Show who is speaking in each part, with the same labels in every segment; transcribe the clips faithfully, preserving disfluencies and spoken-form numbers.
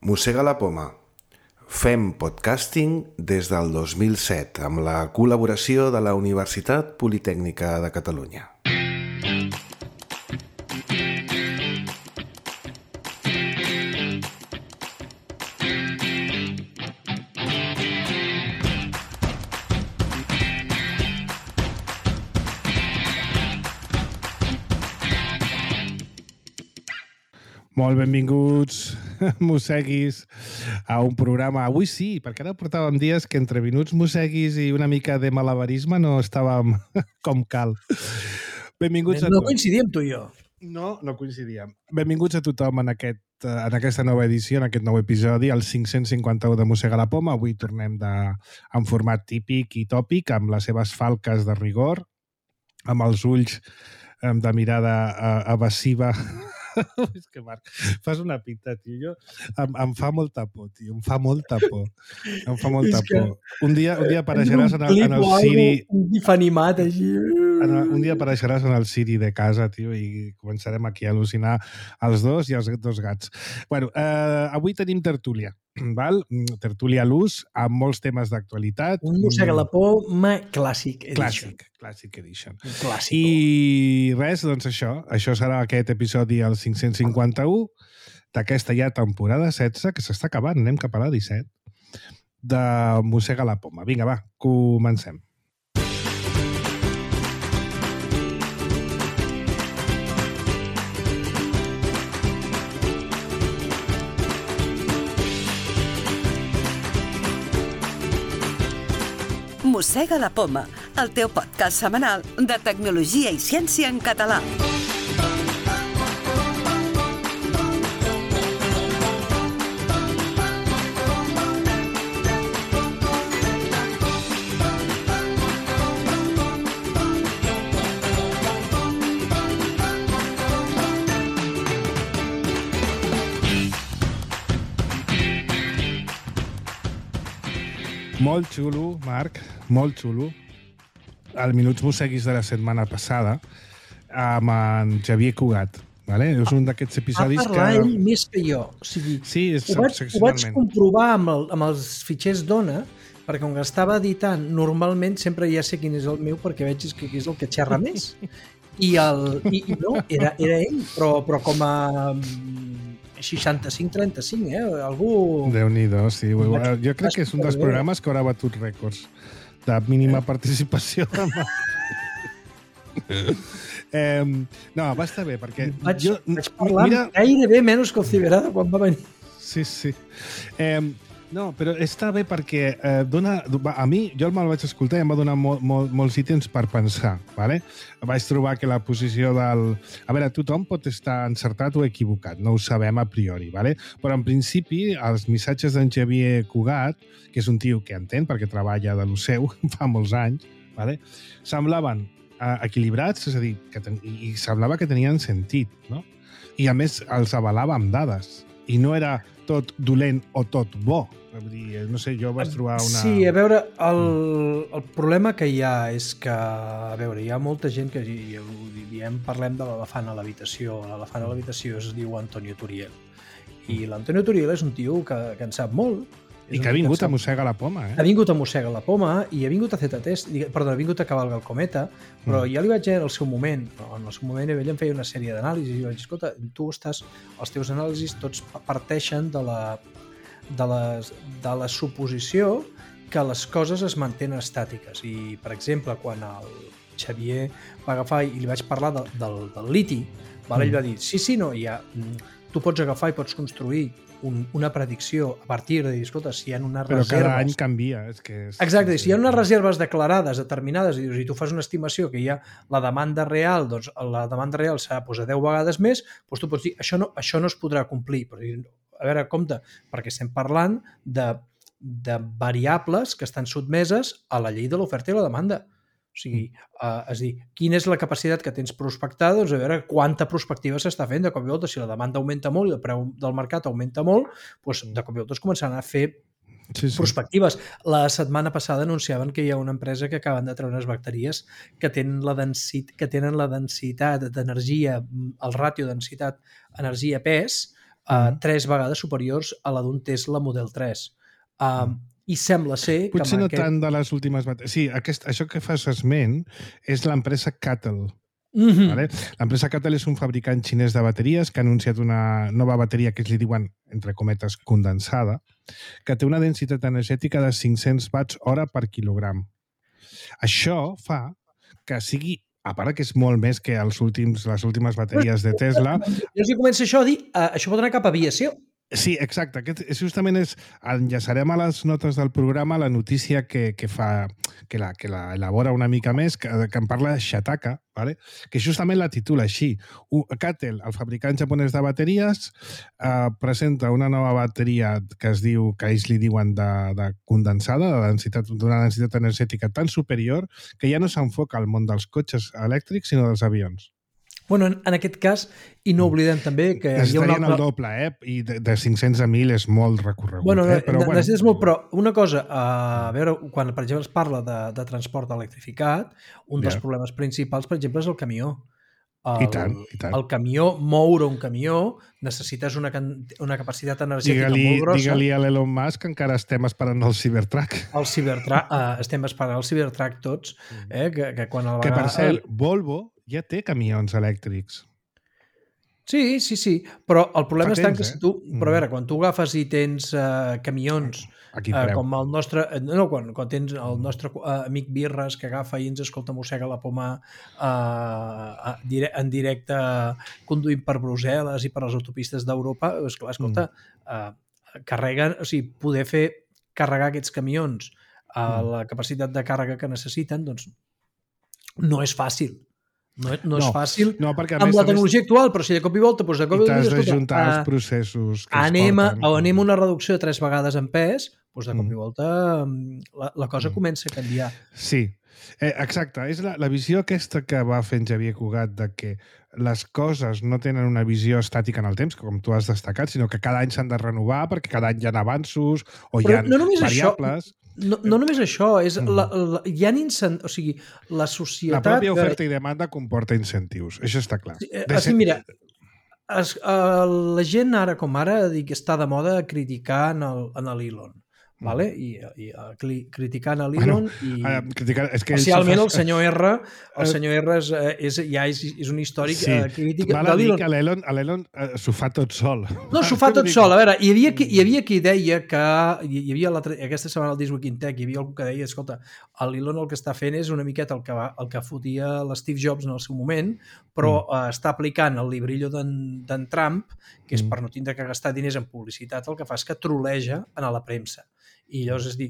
Speaker 1: Mossega la poma. Fem podcasting des del dos mil set amb la col·laboració de la Universitat Politècnica de Catalunya.
Speaker 2: Molt benvinguts, mosseguis, a un programa. Avui sí, perquè ara portàvem dies que entre minuts mosseguis i una mica de malabarisme no estàvem com cal. Benvinguts a
Speaker 3: no
Speaker 2: tots.
Speaker 3: coincidíem tu i jo.
Speaker 2: No, no coincidíem. Benvinguts a tothom en, aquest, en aquesta nova edició, en aquest nou episodi, el cinc-cents cinquanta-u de Mossega la Poma. Avui tornem de, en format típic i tòpic, amb les seves falques de rigor, amb els ulls de mirada evasiva. És que, Marc, fas una pinta, tio. Jo, em, em fa molta por, tio. Em fa molta por. Em fa molta por. Un dia, un dia apareixeràs en el, en el Siri...
Speaker 3: Un gif animat, així...
Speaker 2: Un dia apareixeràs en el Siri de casa, tio, i començarem aquí a al·lucinar els dos i els dos gats. Bueno, eh, avui tenim tertúlia, val? Tertúlia a l'ús, amb molts temes d'actualitat.
Speaker 3: Un Mossega la poma Classic Edition.
Speaker 2: Clàssic, Classic Edition.
Speaker 3: Clàssic.
Speaker 2: I res, doncs això. Això serà aquest episodi, el cinc-cents cinquanta-u, d'aquesta ja temporada setze, que s'està acabant, anem cap a la disset, de Mossega la poma. Vinga, va, comencem.
Speaker 4: Mossega la poma, el teu podcast setmanal de tecnologia i ciència en català.
Speaker 2: Molt xulo, Marc, molt xulo. El Minuts Mosseguis de la setmana passada amb en Xavier Cugat. Vale? És un d'aquests episodis que...
Speaker 3: Va parlar ell més que jo. O sigui,
Speaker 2: sí, és
Speaker 3: ho, vaig, ho vaig comprovar amb, el, amb els fitxers d'Ona, perquè com que estava editant, normalment sempre ja sé quin és el meu, perquè veig que és el que xerra més. I, el, i, i no, era, era ell, però, però com a... seixanta-cinc trenta-cinc, eh? Algú...
Speaker 2: Déu-n'hi-do, sí. Jo crec que és un dels programes que haurà batut rècords de mínima participació. eh, no, va estar bé, perquè...
Speaker 3: Vaig,
Speaker 2: jo,
Speaker 3: vaig parlar
Speaker 2: mira...
Speaker 3: gairebé menys que el Ciberada quan va venir.
Speaker 2: Sí, sí. Eh, no, però està bé perquè eh, dona, a mi, jo me'l vaig escoltar i em va donar molt, molt, molts ítems per pensar. Vale? Vaig trobar que la posició del... A veure, tothom pot estar encertat o equivocat, no ho sabem a priori, vale? Però en principi els missatges d'en Xavier Cugat, que és un tio que entén perquè treballa de lo seu fa molts anys, vale? Semblaven eh, equilibrats, és a dir, que ten... i semblava que tenien sentit, no? I a més els avalava amb dades. I no era tot dolent o tot bo. No sé, jo vaig trobar una...
Speaker 3: Sí, a veure, el, el problema que hi ha és que, a veure, hi ha molta gent que ja ho diem, parlem de l'elefant a l'habitació. L'elefant a l'habitació es diu Antonio Turiel. I l'Antonio Turiel és un tio que, que en sap molt.
Speaker 2: I que ha vingut a Mossega la poma, eh?
Speaker 3: Ha vingut a Mossega la poma i ha vingut a Z-Test, perdó, ha vingut a Cavalga el Cometa, però mm. ja li vaig dir en el seu moment, en el seu moment ell em feia una sèrie d'anàlisis i vaig dir, escolta, tu estàs, els teus anàlisis tots parteixen de la, de, les, de la suposició que les coses es mantenen estàtiques. I, per exemple, quan el Xavier va agafar i li vaig parlar de, del, del liti, val? Mm. ell va dir, sí, sí, no, ja, tu pots agafar i pots construir Un, una predicció a partir de dir, escolta, si hi ha unes
Speaker 2: però
Speaker 3: reserves...
Speaker 2: Però cada any canvia. És que és...
Speaker 3: Exacte, si hi ha unes reserves declarades, determinades, i, i tu fas una estimació que hi ha la demanda real, doncs la demanda real serà doncs, a deu vegades més, doncs tu pots dir, això no, això no es podrà complir. Però, a veure, compte, perquè estem parlant de, de variables que estan sotmeses a la llei de l'oferta i la demanda. O sigui, uh, és dir, quina és la capacitat que tens prospectada, doncs a veure quanta prospectiva s'està fent. De cop i volta, si la demanda augmenta molt i el preu del mercat augmenta molt, doncs de cop i volta es començaran a fer sí, sí. prospectives. La setmana passada anunciaven que hi ha una empresa que acaben de treure unes bateries que tenen la, densit, que tenen la densitat d'energia, el ràtio densitat energia-pes, uh, tres vegades superiors a la d'un Tesla Model tres. Uh, mm. I sembla ser que...
Speaker 2: Potser no aquest... tant de les últimes bateries. Sí, aquest, això que fas esment és l'empresa Cattle. Mm-hmm. Vale? L'empresa Cattle és un fabricant xinès de bateries que ha anunciat una nova bateria que ells li diuen, entre cometes, condensada, que té una densitat energètica de cinc-cents watts hora per quilogram. Això fa que sigui, a part que és molt més que els últims, les últimes bateries de Tesla...
Speaker 3: Jo si començo això a dir, uh, això pot anar cap a aviació.
Speaker 2: Sí, exacte. Aquest, justament és, enllaçarem a les notes del programa la notícia que, que fa, que la, que la elabora una mica més, que, que en parla Shataka, ¿vale? Que justament la titula així. Cattle, el fabricant japonès de bateries, eh, presenta una nova bateria que es diu, que ells li diuen de, de condensada, de densitat, d'una densitat energètica tan superior que ja no s'enfoca al món dels cotxes elèctrics, sinó dels avions.
Speaker 3: Bueno, en, en aquest cas, i no oblidem també que hi ha una altra...
Speaker 2: el doble, eh? I de, de cinc-cents a mil és molt recorregut.
Speaker 3: Bueno,
Speaker 2: eh? Però,
Speaker 3: bueno. Necessites molt, però una cosa, a veure, quan, per exemple, es parla de, de transport electrificat, un dels yeah. problemes principals, per exemple, és el camió. El,
Speaker 2: I tant, i tant.
Speaker 3: El camió, moure un camió, necessites una, una capacitat energètica
Speaker 2: digue-li,
Speaker 3: molt grossa.
Speaker 2: Digue-li a l'Elon Musk que encara estem esperant el Cybertruck.
Speaker 3: El Cybertruck, uh, estem esperant el Cybertruck tots, eh? que, que quan el
Speaker 2: Que, per cert, Volvo ja té camions elèctrics.
Speaker 3: Sí, sí, sí, però el problema
Speaker 2: Fa
Speaker 3: està
Speaker 2: temps,
Speaker 3: en que si
Speaker 2: eh?
Speaker 3: tu... Però a veure, quan tu agafes i tens uh, camions uh, com el nostre... No, quan, quan tens el nostre uh, amic Birres que agafa i ens escolta, mossega la poma uh, en directe conduint per Brussel·les i per les autopistes d'Europa, esclar, escolta, uh, carreguen... O sigui, poder fer carregar aquests camions a la capacitat de càrrega que necessiten, doncs no és fàcil. No, no és no, fàcil
Speaker 2: no, perquè
Speaker 3: amb
Speaker 2: més,
Speaker 3: la tecnologia més... actual, però si de cop i volta... Doncs de cop
Speaker 2: i t'has d'ajuntar els processos que
Speaker 3: anem
Speaker 2: es
Speaker 3: a,
Speaker 2: porten.
Speaker 3: O anem a una reducció de tres vegades en pes, doncs de cop i volta la, la cosa mm. comença a canviar.
Speaker 2: Sí, eh, exacte. És la, la visió aquesta que va fent Xavier Cugat de que les coses no tenen una visió estàtica en el temps, com tu has destacat, sinó que cada any s'han de renovar perquè cada any hi ha avanços o
Speaker 3: però
Speaker 2: hi ha
Speaker 3: no
Speaker 2: variables...
Speaker 3: Això... No, no només això, és la, la, hi ha incent... o sigui, la societat...
Speaker 2: La pròpia oferta i demanda comporta incentius, això està clar.
Speaker 3: Sí, de ser... Mira, es, uh, la gent ara com ara dic, està de moda criticar en l'Elon. Vale? I, i uh, criticant a l'Elon bueno, i uh, criticar, és que especialment fa... el senyor R el senyor R és, és, ja és, és un històric
Speaker 2: sí.
Speaker 3: uh, crític
Speaker 2: val a dir que l'Elon uh, s'ho fa tot sol.
Speaker 3: No, s'ho fa tot sol. A veure, hi havia qui, hi havia qui deia que hi havia la, aquesta setmana al This Week in Tech hi havia algú que deia, escolta, l'Elon el que està fent és una miqueta el que, va, el que fotia l'Steve Jobs en el seu moment, però mm. uh, està aplicant el librillo d'en Trump, que és mm. per no tindre que gastar diners en publicitat, el que fa és que troleja a la premsa. I llavors, és dir,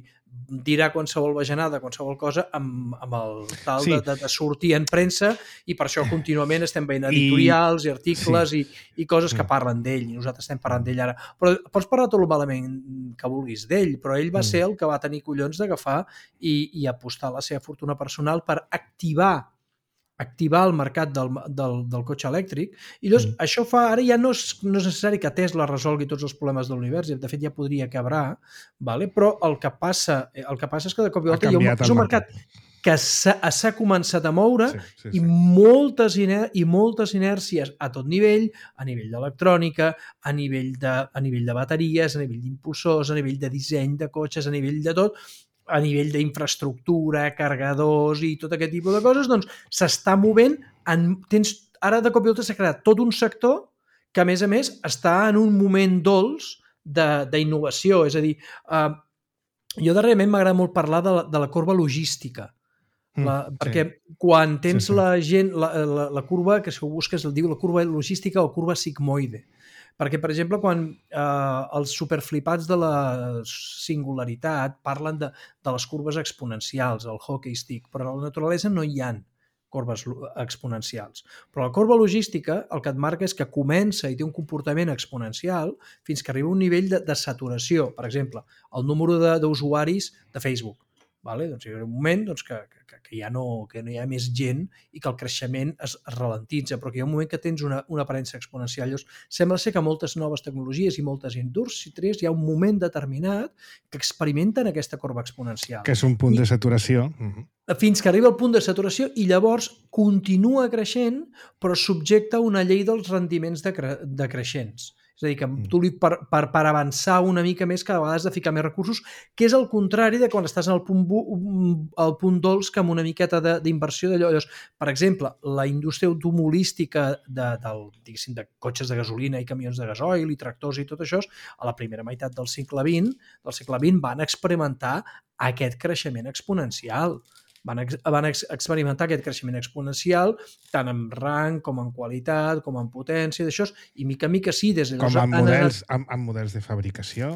Speaker 3: dirà qualsevol bajanada, qualsevol cosa amb, amb el tal sí. de, de sortir en premsa i per això contínuament estem veient editorials i, i articles sí. i, i coses que parlen d'ell i nosaltres estem parlant d'ell ara. Però pots parlar tot el malament que vulguis d'ell, però ell va ser el que va tenir collons d'agafar i, i apostar la seva fortuna personal per activar activar el mercat del, del, del cotxe elèctric i llavors mm. això fa, ara ja no és, no és necessari que Tesla resolgui tots els problemes de l'univers, de fet ja podria quebrar, vale? Però el que passa el que passa és que de cop i volta hi ha un, és un mercat, mercat que s'ha començat a moure sí, sí, sí. i moltes, iner i moltes inèrcies a tot nivell, a nivell d'electrònica, a nivell de, a nivell de bateries, a nivell d'impulsors, a nivell de disseny de cotxes, a nivell de tot, a nivell d'infraestructura, cargadors i tot aquest tipus de coses, doncs s'està movent, en, tens, ara de cop i volta s'ha creat tot un sector que a més a més està en un moment dolç d'innovació, és a dir, eh, jo darrerament m'agrada molt parlar de la, de la corba logística, la, mm, perquè sí. quan tens sí, sí. la gent, la, la, la curva, que si ho busques el diu la curva logística o curva sigmoide, perquè, per exemple, quan eh, els superflipats de la singularitat parlen de, de les curves exponencials, el hockey stick, però a la naturalesa no hi ha corbes exponencials. Però la corba logística el que et marca és que comença i té un comportament exponencial fins que arriba a un nivell de, de saturació. Per exemple, el número d'usuaris de, de Facebook. Vale? Doncs hi ha un moment doncs, que, que, que, ja no, que no hi ha més gent i que el creixement es, es ralentitza, però que hi ha un moment que tens una, una aparença exponencial. Llavors, sembla ser que moltes noves tecnologies i moltes indústries hi ha un moment determinat que experimenten aquesta corba exponencial.
Speaker 2: Que és un punt
Speaker 3: I,
Speaker 2: de saturació. Uh-huh.
Speaker 3: Fins que arriba al punt de saturació i llavors continua creixent, però subjecta a una llei dels rendiments decre decreixents. És a dir, que tu li, per, per, per avançar una mica més cada vegada has de ficar més recursos, que és el contrari de quan estàs en el punt, el punt dolç, que amb una miqueta d'inversió d'allò. Per exemple, la indústria automobilística de, del, diguéssim, de cotxes de gasolina i camions de gasoil i tractors i tot això, a la primera meitat del segle vint, del segle vint van experimentar aquest creixement exponencial. Van, ex, van ex, experimentar aquest creixement exponencial tant en rang com en qualitat, com en potència, d'això, i mica en mica sí, des de
Speaker 2: com en models, amb, amb models de fabricació.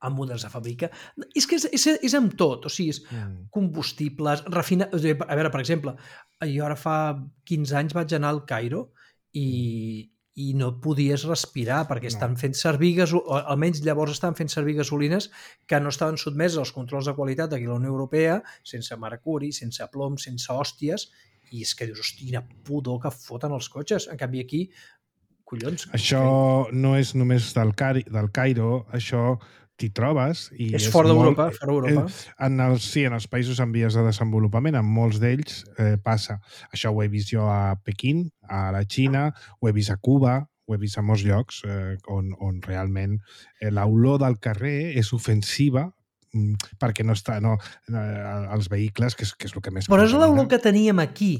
Speaker 3: Amb models de fàbrica. És que és, és, és amb tot, o sigui, és mm. combustibles, refinar... A veure, per exemple, jo ara fa quinze anys vaig anar al Cairo i, i no podies respirar perquè no. estan fent servir gasolines, o almenys llavors estan fent servir gasolines que no estaven sotmeses als controls de qualitat d'aquí a la Unió Europea, sense mercuri, sense plom, sense hòsties, i és que dius, hosti, quina pudor que foten els cotxes. En canvi aquí, collons...
Speaker 2: Això que... no és només del, Cari, del Cairo, això t'hi trobes. I
Speaker 3: és,
Speaker 2: és
Speaker 3: fora d'Europa, fora d'Europa.
Speaker 2: En els, sí, en els països en vies de desenvolupament, en molts d'ells eh, passa. Això ho he vist jo a Pequín, a la Xina, ho he vist a Cuba, ho he vist a molts llocs eh, on, on realment eh, l'olor del carrer és ofensiva perquè no està no, eh, els vehicles, que és, que és el que més...
Speaker 3: Però és l'olor que teníem aquí.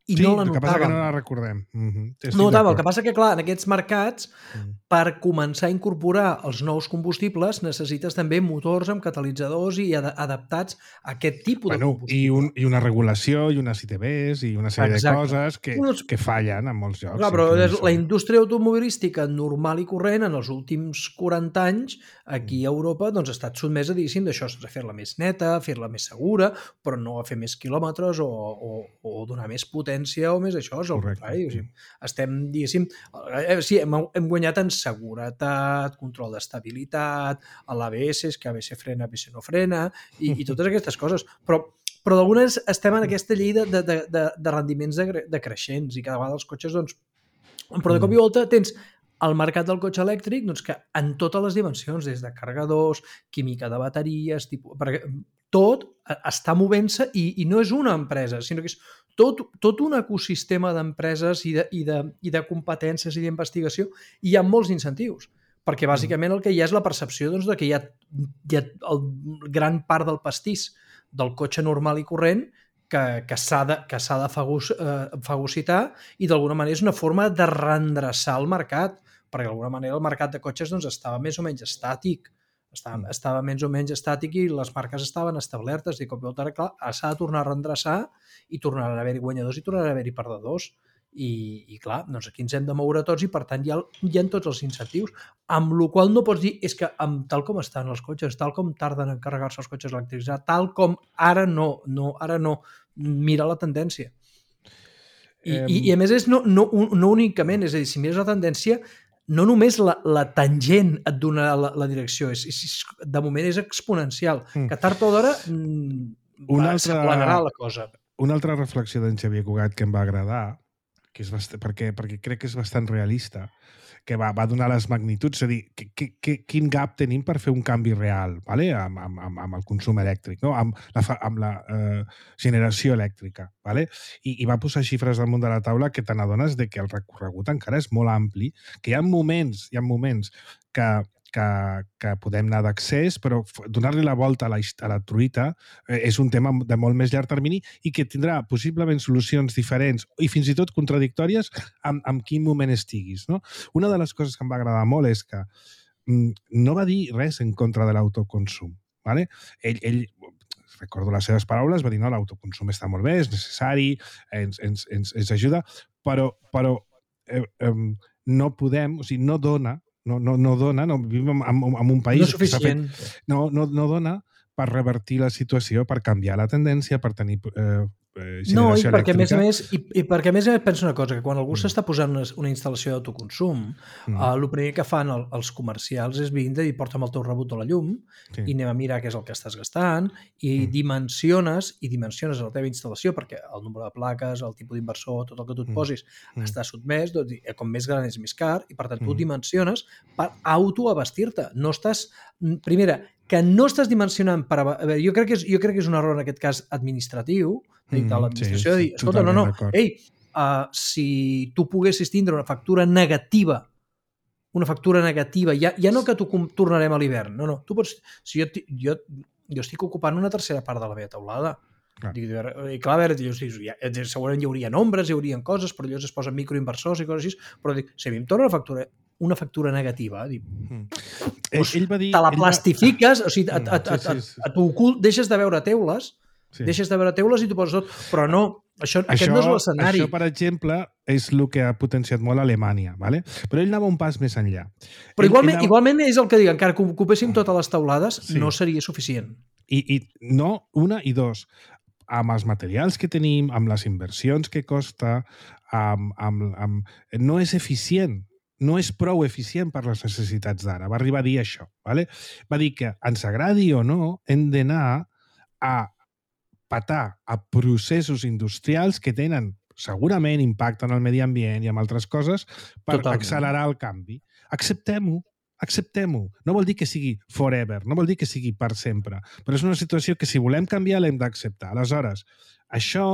Speaker 3: I
Speaker 2: sí,
Speaker 3: no la
Speaker 2: el que passa
Speaker 3: notàvem.
Speaker 2: que no la recordem. Mm-hmm.
Speaker 3: No notàvem. El que passa que, clar, en aquests mercats, mm. per començar a incorporar els nous combustibles, necessites també motors amb catalitzadors i ad adaptats a aquest tipus
Speaker 2: bueno,
Speaker 3: de combustible.
Speaker 2: I, un, I una regulació, i unes I T Bs, i una sèrie Exacte. de coses que,
Speaker 3: Unos...
Speaker 2: que fallen en molts llocs.
Speaker 3: Clar, però la indústria automobilística normal i corrent, en els últims quaranta anys, aquí a Europa, doncs, ha estat sotmesa, diguéssim, d'això, a fer-la més neta, fer-la més segura, però no a fer més quilòmetres o, o, o donar més potència o més això, és el contrari. O sigui, estem, diguéssim, sí, hem, hem guanyat en seguretat, control d'estabilitat, a l'A B S, que A B S frena, A B S no frena, i, i totes aquestes coses. Però, però d'algunes estem en aquesta llei de, de, de, de rendiments de, de creixents i cada vegada els cotxes, doncs... Però de cop i volta tens el mercat del cotxe elèctric, doncs, que en totes les dimensions, des de carregadors, química de bateries, tipus, perquè tot està movent-se i, i no és una empresa, sinó que és tot, tot un ecosistema d'empreses i, de, i, de, i de competències i d'investigació, i hi ha molts incentius, perquè bàsicament el que hi ha és la percepció doncs, de que hi ha, hi ha el gran part del pastís del cotxe normal i corrent que, que s'ha de, que s'ha de fagus, eh, fagocitar, i d'alguna manera és una forma de reendreçar el mercat, perquè d'alguna manera el mercat de cotxes doncs, estava més o menys estàtic, estava, mm. estava més o menys estàtic i les marques estaven establertes, i com veu, ara, clar, s'ha de tornar a reendreçar i tornaran a haver-hi guanyadors i tornaran a haver-hi perdedors. I, i clar, doncs aquí ens hem de moure tots i per tant hi ha, hi ha tots els incentius, amb la qual no pots dir, és que amb, tal com estan els cotxes, tal com tarden en carregar-se els cotxes elèctrics, tal com ara no, no, ara no, mira la tendència. I, um... i, i a més és no, no, no únicament, és a dir, si mires la tendència, no només la, la tangent et dona la, la direcció, és, és, de moment és exponencial, mm. que tard o d'hora s'aplanarà la cosa.
Speaker 2: Una altra reflexió d'en Xavier Cugat que em va agradar, que és bastant, perquè, perquè crec que és bastant realista, que va, va donar les magnituds, és a dir, que, que, que, quin gap tenim per fer un canvi real, ¿vale? amb, amb, amb el consum elèctric, no? amb la, amb la eh, generació elèctrica. ¿Vale? I, I va posar xifres damunt de la taula que te n'adones de que el recorregut encara és molt ampli, que hi ha moments, hi ha moments que, que, que podem anar d'accés, però donar-li la volta a la, a la truita eh, és un tema de molt més llarg termini i que tindrà possiblement solucions diferents i fins i tot contradictòries amb, amb quin moment estiguis. No? Una de les coses que em va agradar molt és que mm, no va dir res en contra de l'autoconsum. ¿Vale? Ell, ell recordo les seves paraules, va dir, no, l'autoconsum està molt bé, és necessari, ens, ens, ens, ens ajuda, però, però eh, eh, no podem, o sigui, no dona, no, no, no dona, no, vivim en, en un país...
Speaker 3: No és suficient.
Speaker 2: Que fet, no, no, no dona per revertir la situació, per canviar la tendència, per tenir eh, generació
Speaker 3: no, i perquè,
Speaker 2: elèctrica.
Speaker 3: Més a més, i, i perquè a més a més penso una cosa, que quan algú mm. s'està posant una, una instal·lació d'autoconsum, mm. uh, el primer que fan el, els comercials és vindre i porta'm el teu rebut a la llum sí. i anem a mirar què és el que estàs gastant i mm. dimensiones i dimensiones la teva instal·lació perquè el nombre de plaques, el tipus d'inversor, tot el que tu et posis mm. està sotmès, doncs, com més gran és més car i per tant tu mm. dimensiones per autoabastir-te. No estàs... Primera, que no estàs dimensionant per... A veure, jo crec que és, jo crec que és un error en aquest cas administratiu, de mm, l'administració, sí, de dir, escolta, no, no, ei, uh, si tu poguessis tindre una factura negativa una factura negativa, ja, ja no que t'ho tornarem a l'hivern, no, no, tu pots, si jo, jo, jo estic ocupant una tercera part de la meva teulada, clar. Dic, i clar, a veure, jo, ja, segurament hi haurien ombres, hi haurien coses, però allò es posen microinversors i coses així, però dic, si a mi em torna una factura, una factura negativa, dic, mm. doncs, ell, ell va dir, te la plastifiques, va... o sigui, et, et, et, et, et ocult, deixes de veure teules, sí. deixes de veure teules i t'ho poses tot, però no, això, això, aquest no és l'escenari.
Speaker 2: Això, per exemple, és el que ha potenciat molt Alemanya, ¿vale? Però ell anava un pas més enllà.
Speaker 3: Però ell, igualment, ell anava... igualment és el que dic, encara que ocupéssim totes les teulades, sí. no seria suficient.
Speaker 2: I, I no, una i dos, amb els materials que tenim, amb les inversions que costa, amb, amb, amb... no és eficient, no és prou eficient per les necessitats d'ara. Va arribar a dir això, ¿vale? Va dir que ens agradi o no, hem d'anar a patar a processos industrials que tenen segurament impacte en el medi ambient i en altres coses per Totalment. accelerar el canvi. Acceptem-ho, acceptem-ho. No vol dir que sigui forever, no vol dir que sigui per sempre, però és una situació que si volem canviar l'hem d'acceptar. Aleshores, això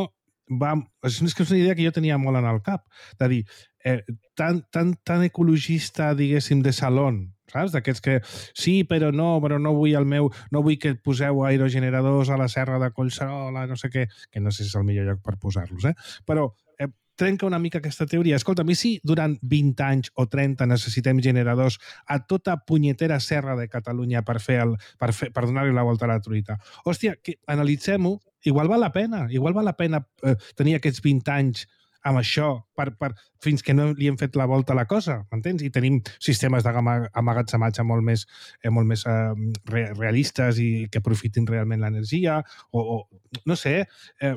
Speaker 2: va... és una idea que jo tenia molt en el cap, de dir, eh, tan, tan, tan ecologista, diguéssim, de salón, saps? D'aquests que sí, però no, però no vull el meu, no vull que poseu aerogeneradors a la serra de Collserola, no sé què, que no sé si és el millor lloc per posar-los, eh? Però eh, trenca una mica aquesta teoria. Escolta, a mi si durant vint anys o trenta necessitem generadors a tota punyetera serra de Catalunya per fer el, per, fer, per donar-li la volta a la truita. Hòstia, que analitzem-ho, igual val la pena, igual val la pena eh, tenir aquests vint anys amb això, per, per, fins que no li hem fet la volta a la cosa, m'entens? I tenim sistemes d'amagatzematge molt més, eh, molt més eh, re, realistes i que aprofitin realment l'energia, o, o no sé, eh,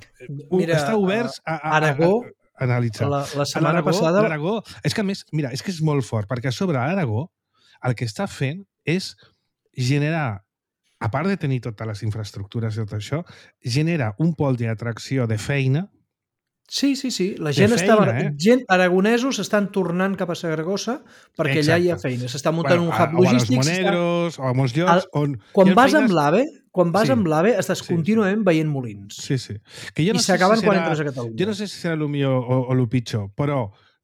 Speaker 2: mira, està oberts a, a,
Speaker 3: Aragó,
Speaker 2: a, a analitzar.
Speaker 3: La, la setmana passada...
Speaker 2: L'Aragó, és que a més, mira, és que és molt fort, perquè a sobre l'Aragó el que està fent és generar, a part de tenir totes les infraestructures i tot això, genera un pol d'atracció de feina.
Speaker 3: Sí, sí, sí. La gent
Speaker 2: feina,
Speaker 3: estava...
Speaker 2: Eh?
Speaker 3: Gent, aragonesos estan tornant cap a Saragossa perquè Exacte. allà hi ha feina. S'està muntant bueno, un hub logístic.
Speaker 2: O a los Monegros, està... o a molts llocs el... on...
Speaker 3: Quan vas feines... amb l'AVE, quan vas sí. amb l'AVE estàs sí. contínuament veient molins.
Speaker 2: Sí, sí. Que jo no
Speaker 3: I s'acaben
Speaker 2: si
Speaker 3: quan
Speaker 2: serà...
Speaker 3: entres a Catalunya.
Speaker 2: Jo no sé si serà el millor o, o el pitjor, però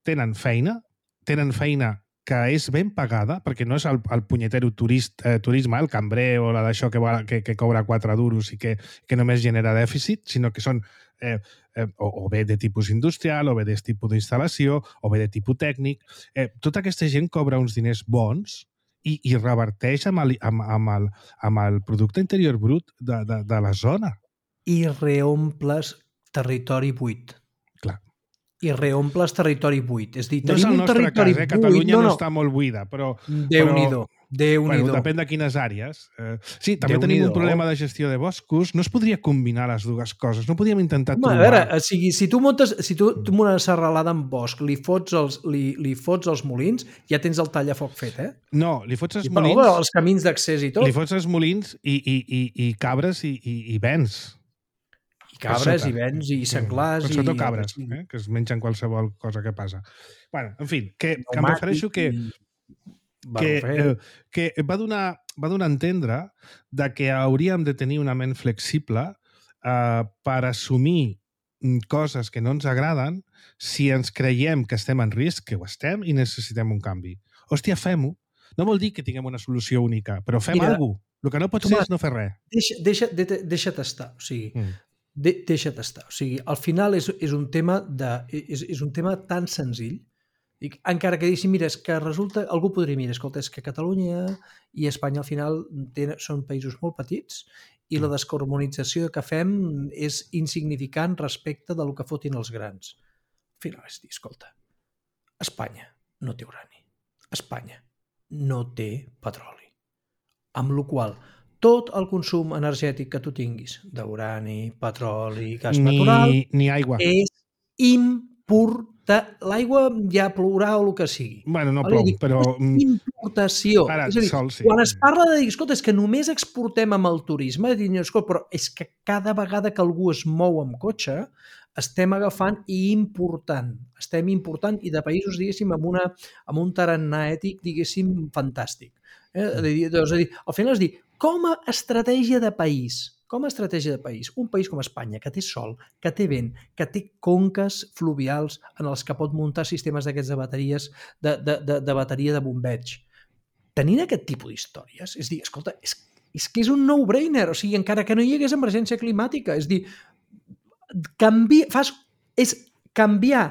Speaker 2: tenen feina, tenen feina que és ben pagada, perquè no és el, el punyetero turist, eh, turisme, el cambrer o la d'això que, que, que cobra quatre duros i que, que només genera dèficit, sinó que són eh, eh, o, o bé de tipus industrial, o bé de tipus d'instal·lació, o bé de tipus tècnic. Eh, tota aquesta gent cobra uns diners bons i, i reverteix amb el, amb, amb, el, amb el producte interior brut de, de, de la zona.
Speaker 3: I reomples territori buit.
Speaker 2: Clar.
Speaker 3: I reomples territori buit. És dir,
Speaker 2: no és el nostre cas, eh? Catalunya buit, no, no. no està molt buida, però...
Speaker 3: Déu-n'hi-do. Déu-n'hi-do.
Speaker 2: Bueno, depèn de quines àrees. Eh, sí, també tenim un problema de gestió de boscos. No es podria combinar les dues coses. No podríem intentar
Speaker 3: Home,
Speaker 2: trobar...
Speaker 3: A veure, o sigui, si tu muntes si tu, tu una serralada amb bosc, li fots, els, li, li fots els molins, ja tens el tallafoc fet, eh?
Speaker 2: No, li fots els
Speaker 3: I,
Speaker 2: molins...
Speaker 3: Però, els camins d'accés i tot.
Speaker 2: Li fots els molins i, i, i, i cabres i, i, i vens.
Speaker 3: Cabres i vents i senglars.
Speaker 2: Mm. Sobretot cabres, eh? Que es mengen qualsevol cosa que passa. Bueno, en fi, que, que em refereixo que, que, eh, que va, donar, va donar a entendre de que hauríem de tenir una ment flexible eh, per assumir coses que no ens agraden si ens creiem que estem en risc, que ho estem, i necessitem un canvi. Hòstia, fem-ho. No vol dir que tinguem una solució única, però fem alguna cosa. El que no pot ser és no fer res.
Speaker 3: Deixa, deixa, de, deixa't estar. O sigui, mm. De, deixa't estar. O sigui, al final és, és, un tema de, és, és un tema tan senzill. I encara que diguéssim, mira, és que resulta... Algú podria mirar, escolta, és que Catalunya i Espanya al final tenen, són països molt petits i la descarbonització que fem és insignificant respecte del que fotin els grans. Al final és dir, escolta, Espanya no té urani. Espanya no té petroli. Amb la qual cosa tot el consum energètic que tu tinguis d'urani, petroli, gas
Speaker 2: ni,
Speaker 3: natural...
Speaker 2: Ni aigua.
Speaker 3: És importar... L'aigua ja plourà o el que sigui.
Speaker 2: Bueno, no plou, dir, però...
Speaker 3: Importació.
Speaker 2: Ara,
Speaker 3: és a dir,
Speaker 2: sol, sí.
Speaker 3: Quan es parla de dir, escolta, és que només exportem amb el turisme, dir, escolta, però és que cada vegada que algú es mou amb cotxe, estem agafant i important. Estem important i de països, diguéssim, amb, una, amb un tarannà ètic, diguéssim, fantàstic. Eh? És a dir, al final és dir, com a estratègia de país, com a estratègia de país, un país com Espanya, que té sol, que té vent, que té conques fluvials en els que pot muntar sistemes d'aquests de bateries, de, de, de, de bateria de bombeig, tenint aquest tipus d'històries, és dir, escolta, és, és que és un no-brainer, o sigui, encara que no hi hagués emergència climàtica, és dir, canvi, fas, és canviar,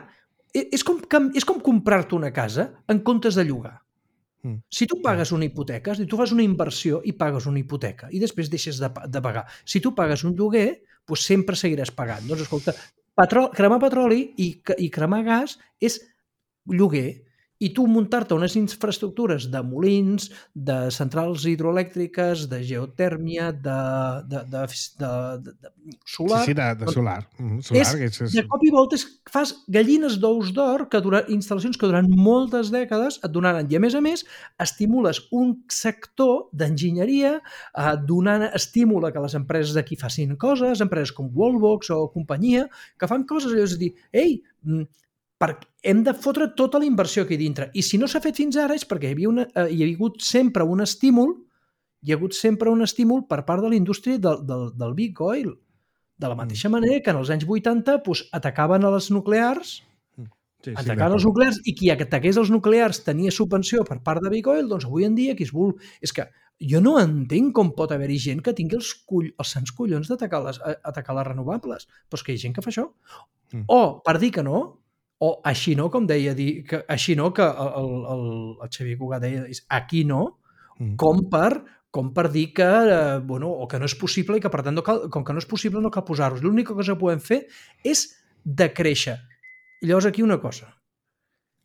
Speaker 3: és com, és com comprar-te una casa en comptes de llogar. Si tu pagues una hipoteca, tu fas una inversió i pagues una hipoteca i després deixes de, de pagar. Si tu pagues un lloguer, doncs sempre seguiràs pagant. Doncs, escolta, petrol, cremar petroli i, i cremar gas és lloguer. I tu muntar-te unes infraestructures de molins, de centrals hidroelèctriques, de geotèrmia, de, de, de, de, de, de solar...
Speaker 2: Sí, sí, de, de solar. Mm, solar
Speaker 3: és,
Speaker 2: és, és...
Speaker 3: De cop i volta fas gallines d'ous d'or, que durant, instal·lacions que durant moltes dècades et donaran. I a més a més, estimules un sector d'enginyeria, eh, donant estímul a que les empreses d'aquí facin coses, empreses com Wallbox o companyia, que fan coses, allò és dir, ei, perquè hem de fotre tota la inversió aquí dintre. I si no s'ha fet fins ara és perquè hi havia, una, eh, hi ha hagut sempre un estímul, hi ha hagut sempre un estímul per part de la indústria del, del, del big oil. De la mateixa manera que en els anys vuitanta pues, atacaven a les nuclears, sí, sí, atacaven els nuclears i qui ataqués els nuclears tenia subvenció per part de big oil, doncs avui en dia qui es vol... És que jo no entenc com pot haver-hi gent que tingui els, cull, els sants collons d'atacar les, atacar les renovables. Però és que hi ha gent que fa això. Mm. O, per dir que no, o així no, com deia, dir, que, així no, que el, el, el Xavier Cugat deia, és aquí no, mm. com, per, com per dir que, eh, bueno, o que no és possible i que, per tant, no cal, com que no és possible, no cal posar-los. L'única cosa que podem fer és decréixer. I llavors aquí una cosa.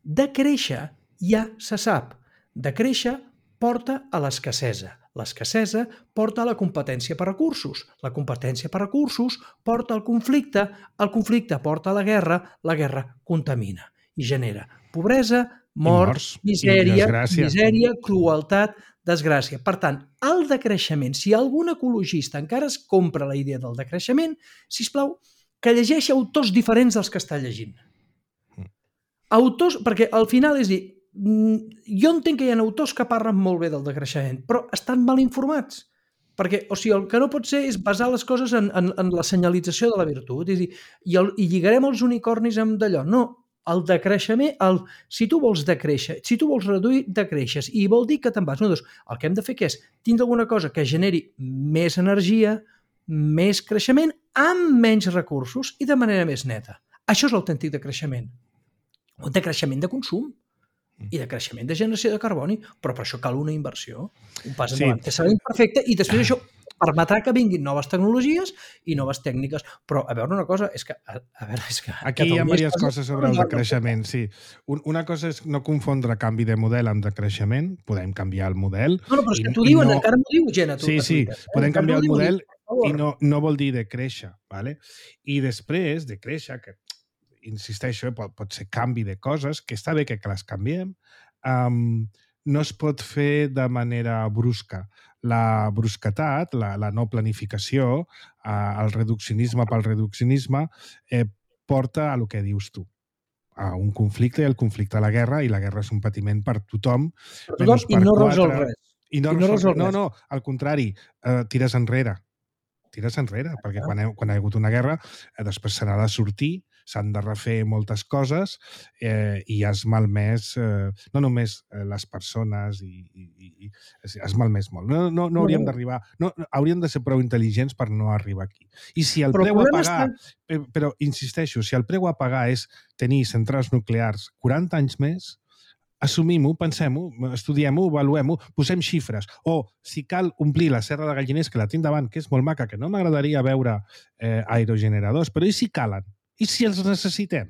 Speaker 3: Decréixer ja se sap. Decréixer porta a l'escassesa. L'escassesa porta a la competència per recursos. La competència per recursos porta al conflicte. El conflicte porta a la guerra. La guerra contamina i genera pobresa, mort,
Speaker 2: morts,
Speaker 3: misèria, misèria, crueltat, desgràcia. Per tant, el decreixement, si algun ecologista encara es compra la idea del decreixement, sisplau, que llegeixi autors diferents dels que està llegint. Autors, perquè al final és dir, jo entenc que hi ha autors que parlen molt bé del decreixement, però estan mal informats. Perquè, o sigui, el que no pot ser és basar les coses en, en, en la senyalització de la virtut. És dir, i, el, i lligarem els unicornis amb d'allò. No, el decreixement, el, si tu vols decréixer, si tu vols reduir, decreixes. I vol dir que te'n vas. No, doncs, el que hem de fer que és tindre alguna cosa que generi més energia, més creixement, amb menys recursos i de manera més neta. Això és l'autèntic decreixement. Un decreixement de consum i de creixement de generació de carboni, però per això cal una inversió, un pas endavant, sí. Que serà imperfecte i després això permetrà que vinguin noves tecnologies i noves tècniques. Però, a veure, una cosa, és que... A, a veure, és que
Speaker 2: aquí hi ha diverses coses sobre el decreixement, sí. Una cosa és no confondre canvi de model amb decreixement, podem canviar el model...
Speaker 3: No, no, però és que t'ho diuen, no... encara m'ho diu gent a tu.
Speaker 2: Sí, sí, eh? Podem canviar el model i no, no vol dir decréixer, ¿vale? I després, decréixer, que insisteixo, pot, pot ser canvi de coses, que està bé que, que les canviem, um, no es pot fer de manera brusca. La brusquetat, la, la no planificació, uh, el reduccionisme pel reduccionisme, eh, porta a lo que dius tu, a un conflicte, i el conflicte a la guerra, i la guerra és un patiment per tothom.
Speaker 3: Per tothom i no resol res.
Speaker 2: I no, I no resol res. No, no, al contrari, uh, tires enrere. Tires enrere, perquè quan, he, quan hi ha hagut una guerra, eh, després se n'ha de sortir, s'han de refer moltes coses eh, i has malmès eh, no només eh, les persones i, i, i has malmès molt. No, no, no hauríem d'arribar... No, hauríem de ser prou intel·ligents per no arribar aquí. I si el però preu a pagar... Està... Però, insisteixo, si el preu a pagar és tenir centrals nuclears quaranta anys més, assumim-ho, pensem-ho, estudiem-ho, avaluem-ho, posem xifres. O, si cal omplir la serra de Galliners, que la tinc davant, que és molt maca, que no m'agradaria veure eh, aerogeneradors, però i si calen? I si els necessitem?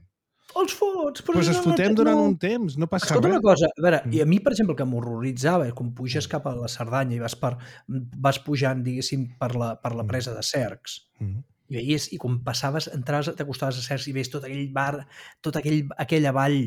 Speaker 3: Els fots!
Speaker 2: Doncs pues els fotem no, durant no. un temps, no passa
Speaker 3: Escolta
Speaker 2: res.
Speaker 3: Escolta una cosa, a veure, mm. i a mi, per exemple, que m'horroritzava, quan puges cap a la Cerdanya i vas, per, vas pujant, diguéssim, per la, per la presa de Cercs, mm. i veies, i quan passaves, entraves, t'acostaves a Cercs i veies tot aquell bar, tot aquell, aquella vall,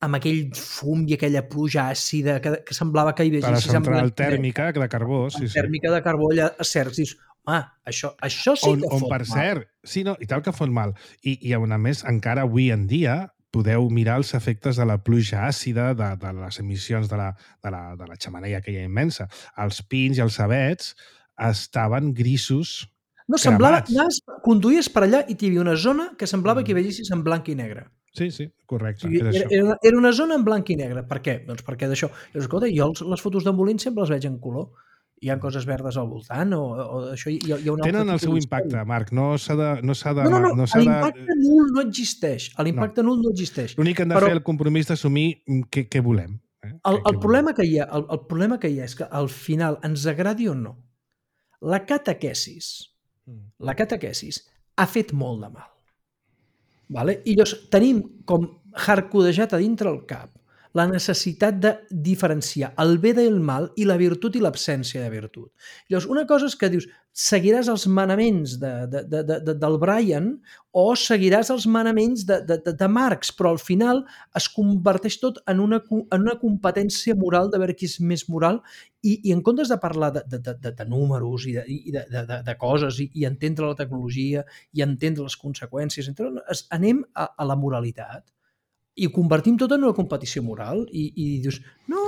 Speaker 3: amb aquell fum i aquella pluja àcida que, que semblava que hi veies...
Speaker 2: Per la central tèrmica de carbó, sí, sí.
Speaker 3: Tèrmica de carbó allà a Cercs, dius, ah, això, això sí
Speaker 2: on,
Speaker 3: que
Speaker 2: on,
Speaker 3: fot
Speaker 2: per
Speaker 3: mal.
Speaker 2: Cert, sí, no, i tal que fot mal. I, i a més, encara avui en dia podeu mirar els efectes de la pluja àcida, de, de les emissions de la, de, la, de la xemeneia aquella immensa. Els pins i els avets estaven grisos
Speaker 3: No, semblava...
Speaker 2: cremats.
Speaker 3: Anaves, conduïes per allà i hi havia una zona que semblava que hi veiessis en blanc i negre.
Speaker 2: Sí, sí, correcte.
Speaker 3: O sigui,
Speaker 2: era,
Speaker 3: era,
Speaker 2: això.
Speaker 3: era, una, era una zona en blanc i negre. Per què? Doncs perquè d'això. Llavors, escolta, jo els, les fotos d'embolins sempre les veig en color. Hi ha coses verdes al voltant o, o això. Hi ha, hi ha un
Speaker 2: Tenen
Speaker 3: altre
Speaker 2: el seu
Speaker 3: tipus
Speaker 2: impacte,
Speaker 3: d'història.
Speaker 2: Marc. No s'ha de... No, s'ha de,
Speaker 3: No, no, no.
Speaker 2: no s'ha de...
Speaker 3: L'impacte nul no existeix. L'impacte no. nul no existeix.
Speaker 2: L'únic que hem de
Speaker 3: Però
Speaker 2: fer el compromís d'assumir què, què volem. Eh?
Speaker 3: el,
Speaker 2: què,
Speaker 3: el,
Speaker 2: què
Speaker 3: problema que hi ha, el, el problema que hi ha és que al final, ens agradi o no, la catequesis, la catequesis ha fet molt de mal. Vale? I llavors tenim com hardcodejat a dintre el cap la necessitat de diferenciar el bé del mal i la virtut i l'absència de virtut. Llavors, una cosa és que dius, seguiràs els manaments de, de, de, de, del Brian o seguiràs els manaments de, de, de, de Marx, però al final es converteix tot en una, en una competència moral de veure qui és més moral i, i en comptes de parlar de, de, de, de números i de, i de, de, de coses i, i entendre la tecnologia i entendre les conseqüències, es, anem a, a la moralitat i ho convertim tot en una competició moral i, i dius, no,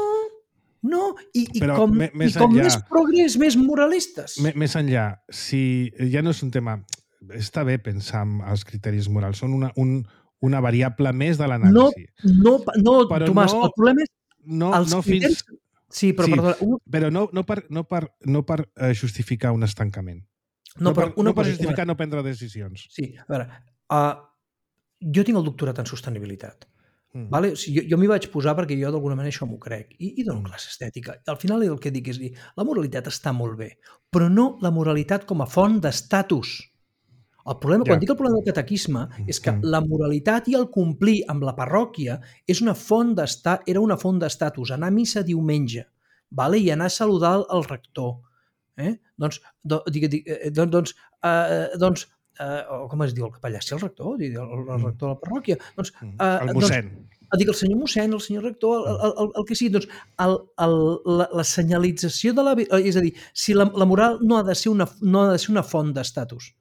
Speaker 3: no, i, i
Speaker 2: Però
Speaker 3: com,
Speaker 2: me- més
Speaker 3: i com
Speaker 2: enllà-
Speaker 3: més progrés, més moralistes.
Speaker 2: M més enllà, si ja no és un tema... Està bé pensar en els criteris morals, són una, un, una variable més de
Speaker 3: No,
Speaker 2: l'anàlisi.
Speaker 3: no, no
Speaker 2: Però
Speaker 3: Tomàs,
Speaker 2: no-
Speaker 3: el problema és
Speaker 2: No,
Speaker 3: els
Speaker 2: no
Speaker 3: criteris...
Speaker 2: fins...
Speaker 3: Sí, però
Speaker 2: sí,
Speaker 3: perdona, un,
Speaker 2: però no, no per, no per, no per eh, justificar un estancament.
Speaker 3: no,
Speaker 2: No,
Speaker 3: però
Speaker 2: per,
Speaker 3: una
Speaker 2: no per
Speaker 3: cosa,
Speaker 2: justificar
Speaker 3: Tomàs,
Speaker 2: no prendre decisions.
Speaker 3: sí, a veure, uh, jo tinc el doctorat en sostenibilitat.
Speaker 2: Mm.
Speaker 3: Vale? O sigui, jo jo m'hi vaig posar perquè jo d'alguna manera això m'ho crec i, i dono classe estètica. Al final el que dic és dir, la moralitat està molt bé, però no la moralitat com a font d'estatus. El problema,
Speaker 2: Ja.
Speaker 3: quan dic el problema del catequisme, és que
Speaker 2: Mm.
Speaker 3: la moralitat i el complir amb la parròquia és una font d'esta- era una font d'estatus. Anar a missa diumenge, vale? I anar a saludar el rector. Eh? Doncs, do, dic, dic, eh, doncs, doncs, eh, doncs eh, o com es diu el capellà? Sí, el rector, el, el rector de la parròquia. Doncs,
Speaker 2: Mm.
Speaker 3: eh,
Speaker 2: El
Speaker 3: doncs,
Speaker 2: mossèn.
Speaker 3: dic el senyor mossèn, el senyor rector, el, el, el, el que sigui, doncs el, el, la, la senyalització de la... És a dir, si la, la moral no ha de ser una, no ha de ser una font d'estatus,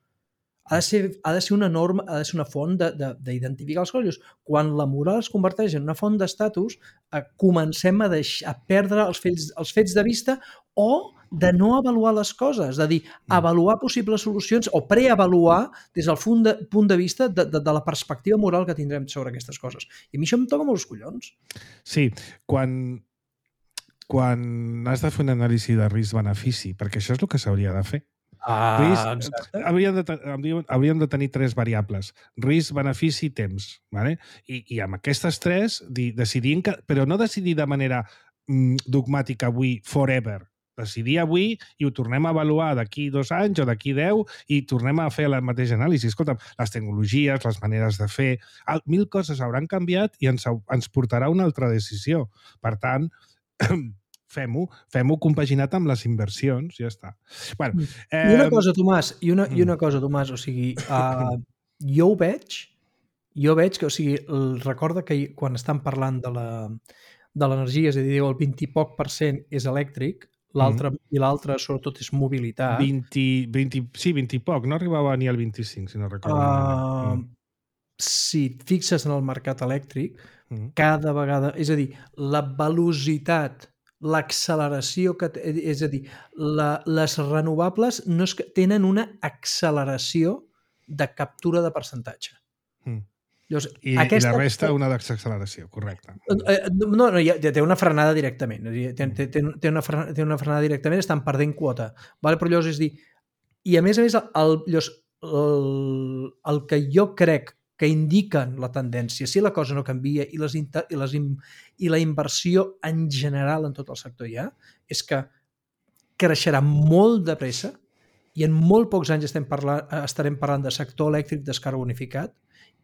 Speaker 3: ha de ser, ha de ser una norma, ha de ser una font d'identificar els coses. Quan la moral es converteix en una font d'estatus, eh, comencem a, deix, a perdre els fets, els fets de vista o de no avaluar les coses, de dir, avaluar possibles solucions o preavaluar des del punt de, punt de vista de, de, de la perspectiva moral que tindrem sobre aquestes coses. I a mi això em toca molts collons.
Speaker 2: Sí, quan, quan has de fer una anàlisi de risc-benefici, perquè això és el que s'hauria de fer.
Speaker 3: Ah,
Speaker 2: Risc,
Speaker 3: exacte.
Speaker 2: hauríem, de, te- hauríem- hauríem de tenir tres variables. Risc, benefici i temps. Vale? I, I amb aquestes tres, di, decidim que, però no decidir de manera mm, dogmàtica avui, forever. Decidir avui i ho tornem a avaluar d'aquí dos anys o d'aquí deu i tornem a fer la mateixa anàlisi. Escolta, les tecnologies, les maneres de fer, el- mil coses hauran canviat i ens, hau- ens portarà una altra decisió. Per tant, fem-ho, fem-ho compaginat amb les inversions, ja està. Bueno,
Speaker 3: I una
Speaker 2: eh,
Speaker 3: cosa, Tomàs, i una, i
Speaker 2: mm.
Speaker 3: una cosa, Tomàs, o sigui, uh, jo ho veig, jo veig que, o sigui, el, recorda que hi- quan estan parlant de la de l'energia, és a dir, el vint i poc per cent és elèctric, l'altre i l'altre sobretot és mobilitat.
Speaker 2: vint, vint, sí, vint i poc, no arribava ni al vint-i-cinc, si no recordo
Speaker 3: Uh,
Speaker 2: malament.
Speaker 3: si et fixes en el mercat elèctric,
Speaker 2: Mm.
Speaker 3: cada vegada, és a dir, la velocitat, l'acceleració, que té, és a dir, la, les renovables no és que tenen una acceleració de captura de percentatge.
Speaker 2: Mm.
Speaker 3: Llavors,
Speaker 2: I,
Speaker 3: aquesta,
Speaker 2: I la resta una d'acceleració, correcte.
Speaker 3: Eh, No, no, ja, ja té una frenada directament. És a dir, té, té, té, té, una frenada, té una frenada directament, estan perdent quota. Vale? Però llavors és dir, i a més a més, el, llavors, el, el que jo crec que indiquen la tendència, si la cosa no canvia i, les, inter, i, les, i la inversió en general en tot el sector ja, és que creixerà molt de pressa i en molt pocs anys estem parlant, estarem parlant de sector elèctric descarbonificat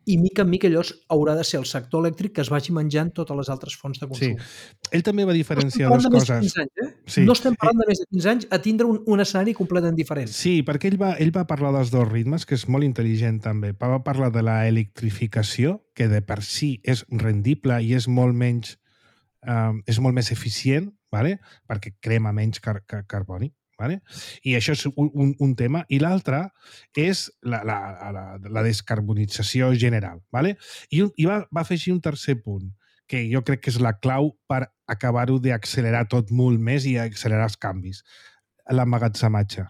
Speaker 3: i mica en mica llavors haurà de ser el sector elèctric que es vagi menjant totes les altres fonts de consum.
Speaker 2: Sí. Ell també va diferenciar
Speaker 3: no
Speaker 2: dues
Speaker 3: coses.
Speaker 2: coses.
Speaker 3: Anys, eh?
Speaker 2: Sí.
Speaker 3: No estem parlant de més de quinze anys a tindre un, un escenari completament diferent.
Speaker 2: Sí, perquè ell va, ell va parlar dels dos ritmes, que és molt intel·ligent també. Va parlar de la electrificació, que de per si és rendible i és molt menys, eh, és molt més eficient, vale? Perquè crema menys car car carboni. Vale? I això és un, un, un tema. I l'altre és la, la, la, la descarbonització general. Vale? I, i va, va afegir un tercer punt, que jo crec que és la clau per acabar-ho d'accelerar tot molt més i accelerar els canvis. L'emmagatzematge.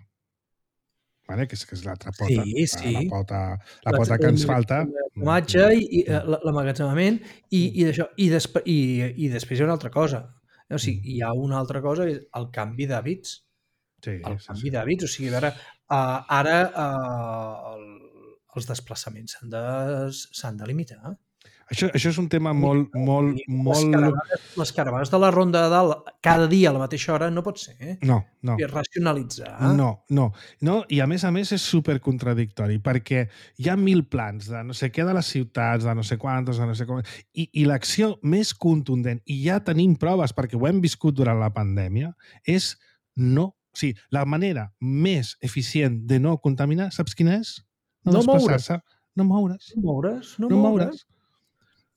Speaker 2: vale? que és, que és l'altra pota,
Speaker 3: Sí, sí.
Speaker 2: la, la pota, la pota que ens falta.
Speaker 3: L'emmagatzematge i l'emmagatzemament i, i, d'això, i, desp i, i després hi ha una altra cosa. O sigui, hi ha una altra cosa, el canvi d'hàbits.
Speaker 2: Sí,
Speaker 3: el
Speaker 2: sí,
Speaker 3: canvi
Speaker 2: sí.
Speaker 3: d'hàbits. O sigui, a veure, uh, ara uh, el, els desplaçaments s'han de, s'han de limitar.
Speaker 2: Això, això és un tema molt... molt,
Speaker 3: les,
Speaker 2: molt...
Speaker 3: caravanes, les caravanes de la Ronda de Dalt cada dia a la mateixa hora no pot ser. Eh?
Speaker 2: No, no.
Speaker 3: És racionalitzar.
Speaker 2: No, no, no. I a més a més és supercontradictori perquè hi ha mil plans de no sé què de les ciutats, de no sé quantes, de no sé com... I, i l'acció més contundent, i ja tenim proves perquè ho hem viscut durant la pandèmia, és no... O sigui, la manera més eficient de no contaminar, saps quina és?
Speaker 3: No desplaçar-se.
Speaker 2: No moure's.
Speaker 3: No moure's. No,
Speaker 2: no
Speaker 3: moure's.
Speaker 2: moure's.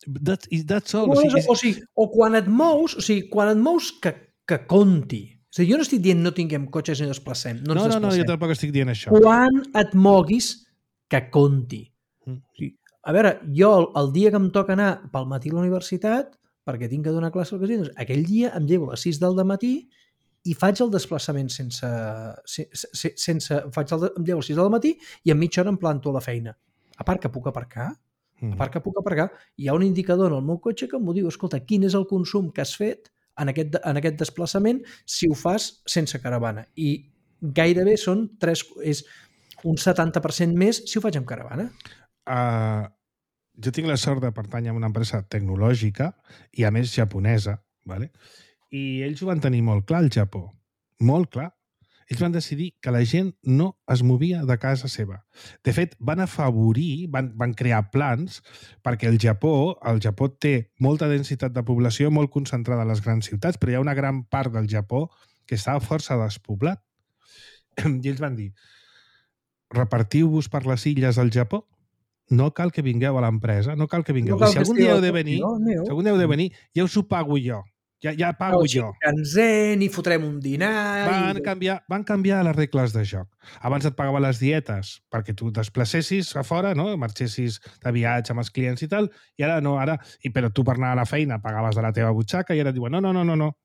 Speaker 2: That, that's all.
Speaker 3: No
Speaker 2: o, sigui, és...
Speaker 3: o, sigui, o quan et mous, o sigui, quan et mous que, que conti. O sigui, jo no estic dient no tinguem cotxes ni desplacem. No,
Speaker 2: no, no, no, jo tampoc estic dient això.
Speaker 3: Quan et moguis, que conti. Mm. O sigui, a veure, jo el, el dia que em toca anar pel matí a la universitat, perquè tinc que donar classe al casino, aquell dia em llevo a les sis del matí i faig el desplaçament sense... sense, sense faig el, em llevo a les sis del matí i en mitja hora em planto a la feina. A part que puc aparcar, a part que puc aparcar, hi ha un indicador en el meu cotxe que m'ho diu, escolta, quin és el consum que has fet en aquest, en aquest desplaçament si ho fas sense caravana. I gairebé són tres, és un setanta per cent més si ho faig amb caravana.
Speaker 2: Uh, jo tinc la sort de pertànyer a una empresa tecnològica i a més japonesa, ¿vale? I ells ho van tenir molt clar al Japó, molt clar. Ells van decidir que la gent no es movia de casa seva. De fet, van afavorir, van, van crear plans perquè el Japó, el Japó té molta densitat de població molt concentrada a les grans ciutats, però hi ha una gran part del Japó que està força despoblat. I ells van dir, repartiu-vos per les illes del Japó, no cal que vingueu a l'empresa, no cal que vingueu. No cal I si algun dia heu de venir, no, si algun dia heu de venir, ja us ho pago jo. Ja, ja pago
Speaker 3: no,
Speaker 2: jo.
Speaker 3: Cansen i fotrem un dinar...
Speaker 2: Van,
Speaker 3: i...
Speaker 2: canviar, van canviar les regles de joc. Abans et pagava les dietes perquè tu desplacessis a fora, no? Marxessis de viatge amb els clients i tal, i ara no, ara... I, però tu per anar a la feina pagaves de la teva butxaca i ara et diuen no, no, no, no, no.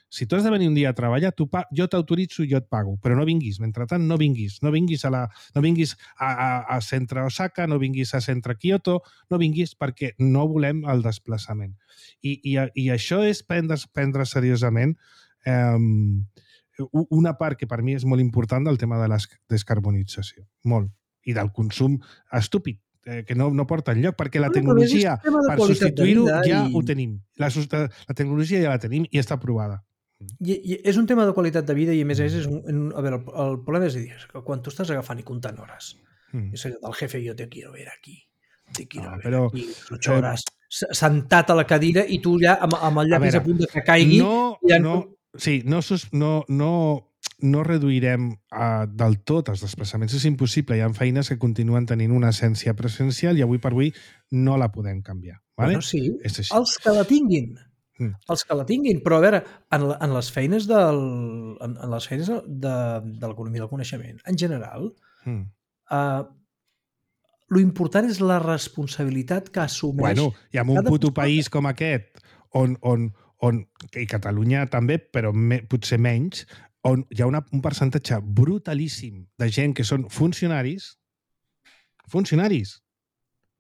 Speaker 2: Si tu has de venir un dia a treballar, tu pa... jo t'autoritzo i jo et pago, però no vinguis. Mentrestant, no vinguis. No vinguis a, la... no vinguis a, a, a centre Osaka, no vinguis a centre Kyoto, no vinguis perquè no volem el desplaçament. I, i, i això és prendre, prendre seriosament eh, una part que per mi és molt important del tema de la descarbonització. Molt. I del consum estúpid, eh, que no, no porta enlloc, perquè la tecnologia, per substituir-ho, ja i... ho tenim. La, la tecnologia ja la tenim i està aprovada.
Speaker 3: I, i és un tema de qualitat de vida i a més a més és un, un, a veure, el, el problema és dir que quan tu estàs agafant i comptant hores mm. és allò del jefe, jo te quiero ver aquí te quiero no, ver però, aquí ocho hores eh, sentat a la cadira i tu ja amb, amb el llapis a, veure, a punt de que caigui
Speaker 2: no, ja... no, sí, no, no, no, no reduirem uh, del tot els desplaçaments, és impossible, hi ha feines que continuen tenint una essència presencial i avui per avui no la podem canviar, vale?
Speaker 3: Bueno, sí, els que la tinguin Mm. els que la tinguin, però a veure, en, la, en les feines del, en, en les feines de, de l'economia del coneixement, en general, mm. uh, lo important és la responsabilitat que assumeix...
Speaker 2: Bueno, i en un puto persona. País com aquest, on, on, on, i Catalunya també, però me, potser menys, on hi ha una, un percentatge brutalíssim de gent que són funcionaris, funcionaris,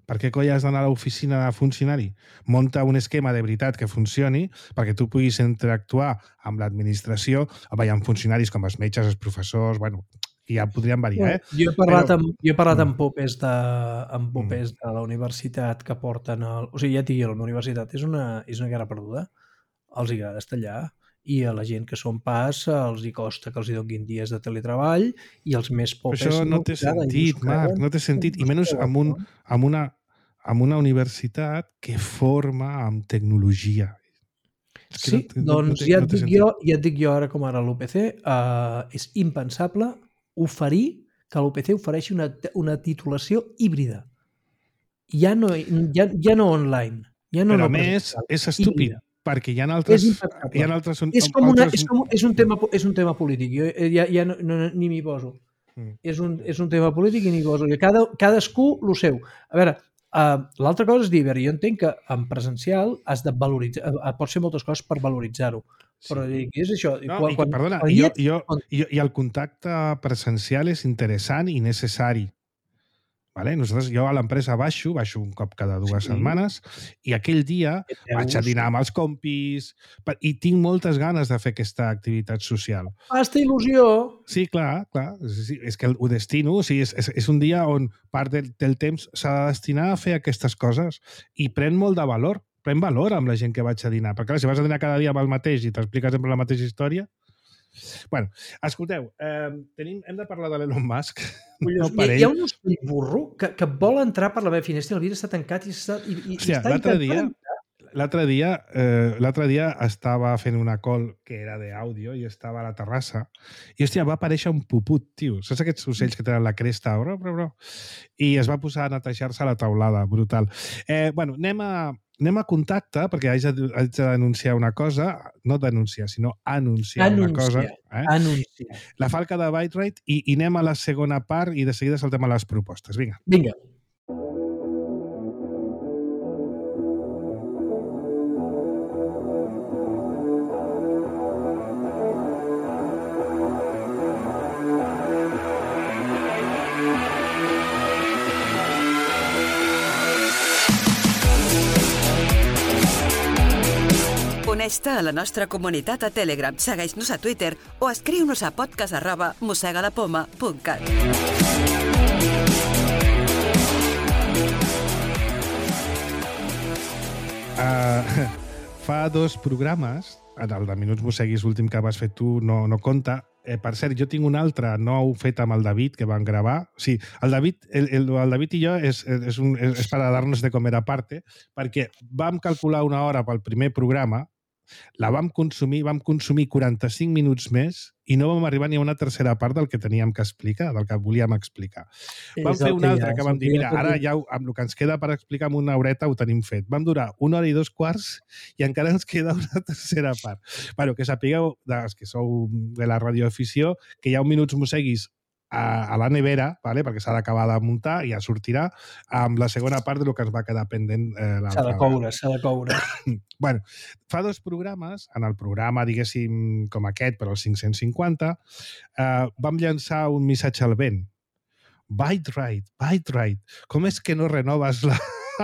Speaker 2: per què coi has d'anar a l'oficina de funcionari? Monta un esquema de veritat que funcioni perquè tu puguis interactuar amb l'administració. Hi ha funcionaris com els metges, els professors, bueno, i ja podrien variar, eh?
Speaker 3: Jo he parlat, Però... amb, jo he parlat amb popes de, amb popes mm. de la universitat que porten... El... O sigui, ja et dic, la meva universitat és una, és una guerra perduda. Els hi agrada estar allà. I a la gent que són pas els hi costa que els hi donin dies de teletreball i els més popes...
Speaker 2: Però això no té sentit, Marc, no té sentit. I menys amb, un, amb, una, amb una universitat que forma amb tecnologia.
Speaker 3: És que sí, no, doncs no té, ja, et no dic jo, ja et dic jo ara com ara l'U P C, uh, és impensable oferir que l'U P C ofereixi una, una titulació híbrida. Ja no, ja, ja no online. Ja no
Speaker 2: Però a més, és estúpid. Híbrida. Perquè hi ha altres... Hi ha altres
Speaker 3: és, com una, altres... és, com, és, un tema, és un tema polític. Jo ja, ja no, no, ni m'hi poso. Mm. És, un, és un tema polític i ni m'hi poso. Cada, cadascú el seu. A veure, uh, l'altra cosa és dir, jo entenc que en presencial has de valoritzar, uh, pots fer moltes coses per valoritzar-ho, Però sí. És això.
Speaker 2: No,
Speaker 3: quan,
Speaker 2: i,
Speaker 3: quan,
Speaker 2: perdona,
Speaker 3: quan
Speaker 2: i, jo,
Speaker 3: ets,
Speaker 2: jo,
Speaker 3: quan...
Speaker 2: i, i el contacte presencial és interessant i necessari. Vale? Nosaltres, jo a l'empresa baixo, baixo un cop cada dues
Speaker 3: Sí.
Speaker 2: setmanes, i aquell dia vaig a dinar amb els compis i tinc moltes ganes de fer aquesta activitat social.
Speaker 3: Fasta il·lusió.
Speaker 2: Sí, clar, clar. Sí, és que ho destino, o sigui, és, és, és un dia on part del, del temps s'ha de destinar a fer aquestes coses i pren molt de valor, pren valor amb la gent que vaig a dinar. Perquè clar, si vas a dinar cada dia amb el mateix i t'expliques sempre la mateixa història... Bueno, escolteu, eh, tenim, hem de parlar de l'Elon Musk. No
Speaker 3: hi, hi ha un ocell burro que, que vol entrar per la meva finestra i el vidre està tancat i, està, i, i,
Speaker 2: Hòstia,
Speaker 3: i està
Speaker 2: l'altre dia,
Speaker 3: entrar.
Speaker 2: l'altre dia, eh, l'altre dia estava fent una call que era d'àudio i estava a la terrassa i, hòstia, va aparèixer un puput, tio. Saps aquests ocells que tenen la cresta? Bro, bro, bro. I es va posar a netejar-se a la taulada, brutal. Eh, bueno, anem a, anem a contacte, perquè haig de, haig de denunciar una cosa, no denunciar, sinó anunciar,
Speaker 3: anunciar
Speaker 2: una cosa. Eh?
Speaker 3: Anunciar.
Speaker 2: La falca de Byte-Rite i, i anem a la segona part i de seguida saltem a les propostes. Vinga.
Speaker 3: Vinga.
Speaker 4: Uneix-te a la nostra comunitat a Telegram, segueix-nos a Twitter o escriu-nos a podcast arroba mossegalapoma punt cat.
Speaker 2: Uh, fa dos programes, el de Minuts Mosseguis, l'últim que vas fer tu, no, no compta. Eh, per cert, jo tinc un altre nou fet amb el David, que van gravar. Sí, el David, el, el, el David i jo és, és, un, és, és para dar-nos de comer aparte, perquè vam calcular una hora pel primer programa, la vam consumir, vam consumir quaranta-cinc minuts més i no vam arribar ni a una tercera part del que teníem que explicar, del que volíem explicar. Vam fer una altra que vam dir, mira, ara ja amb el que ens queda per explicar en una horeta ho tenim fet. Vam durar una hora i dos quarts i encara ens queda una tercera part. Bueno, que sapigueu, dels que sou de la radioafició, que hi ha un Minuts Mosseguis a, a la nevera, vale? Perquè s'ha d'acabar de muntar i ja sortirà amb la segona part del que ens va quedar pendent eh, l'altra.
Speaker 3: S'ha de coure, s'ha de coure.
Speaker 2: Bueno, fa dos programes, en el programa, diguéssim, com aquest, però el cinc-cents cinquanta, eh, vam llançar un missatge al vent. Byte-Rite, Byte-Rite, com és que no renoves la,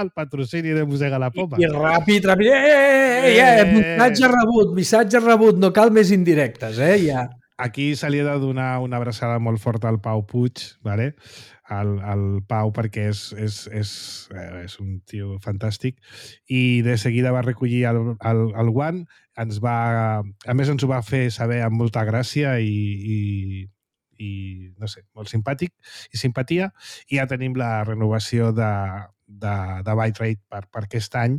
Speaker 2: el patrocini de Mossega la Poma?
Speaker 3: I, i ràpid, ràpid, eh, eh, eh, eh, missatge rebut, missatge rebut, no cal més indirectes, eh, ja.
Speaker 2: Aquí se li ha de donar una abraçada molt forta al Pau Puig, ¿vale? al, al Pau, perquè és, és, és, és un tio fantàstic, i de seguida va recollir el, el, el guant, ens va, a més ens ho va fer saber amb molta gràcia i, i, i no sé, molt simpàtic i simpatia, i ja tenim la renovació de, de, de Byte-Rite per, per aquest any,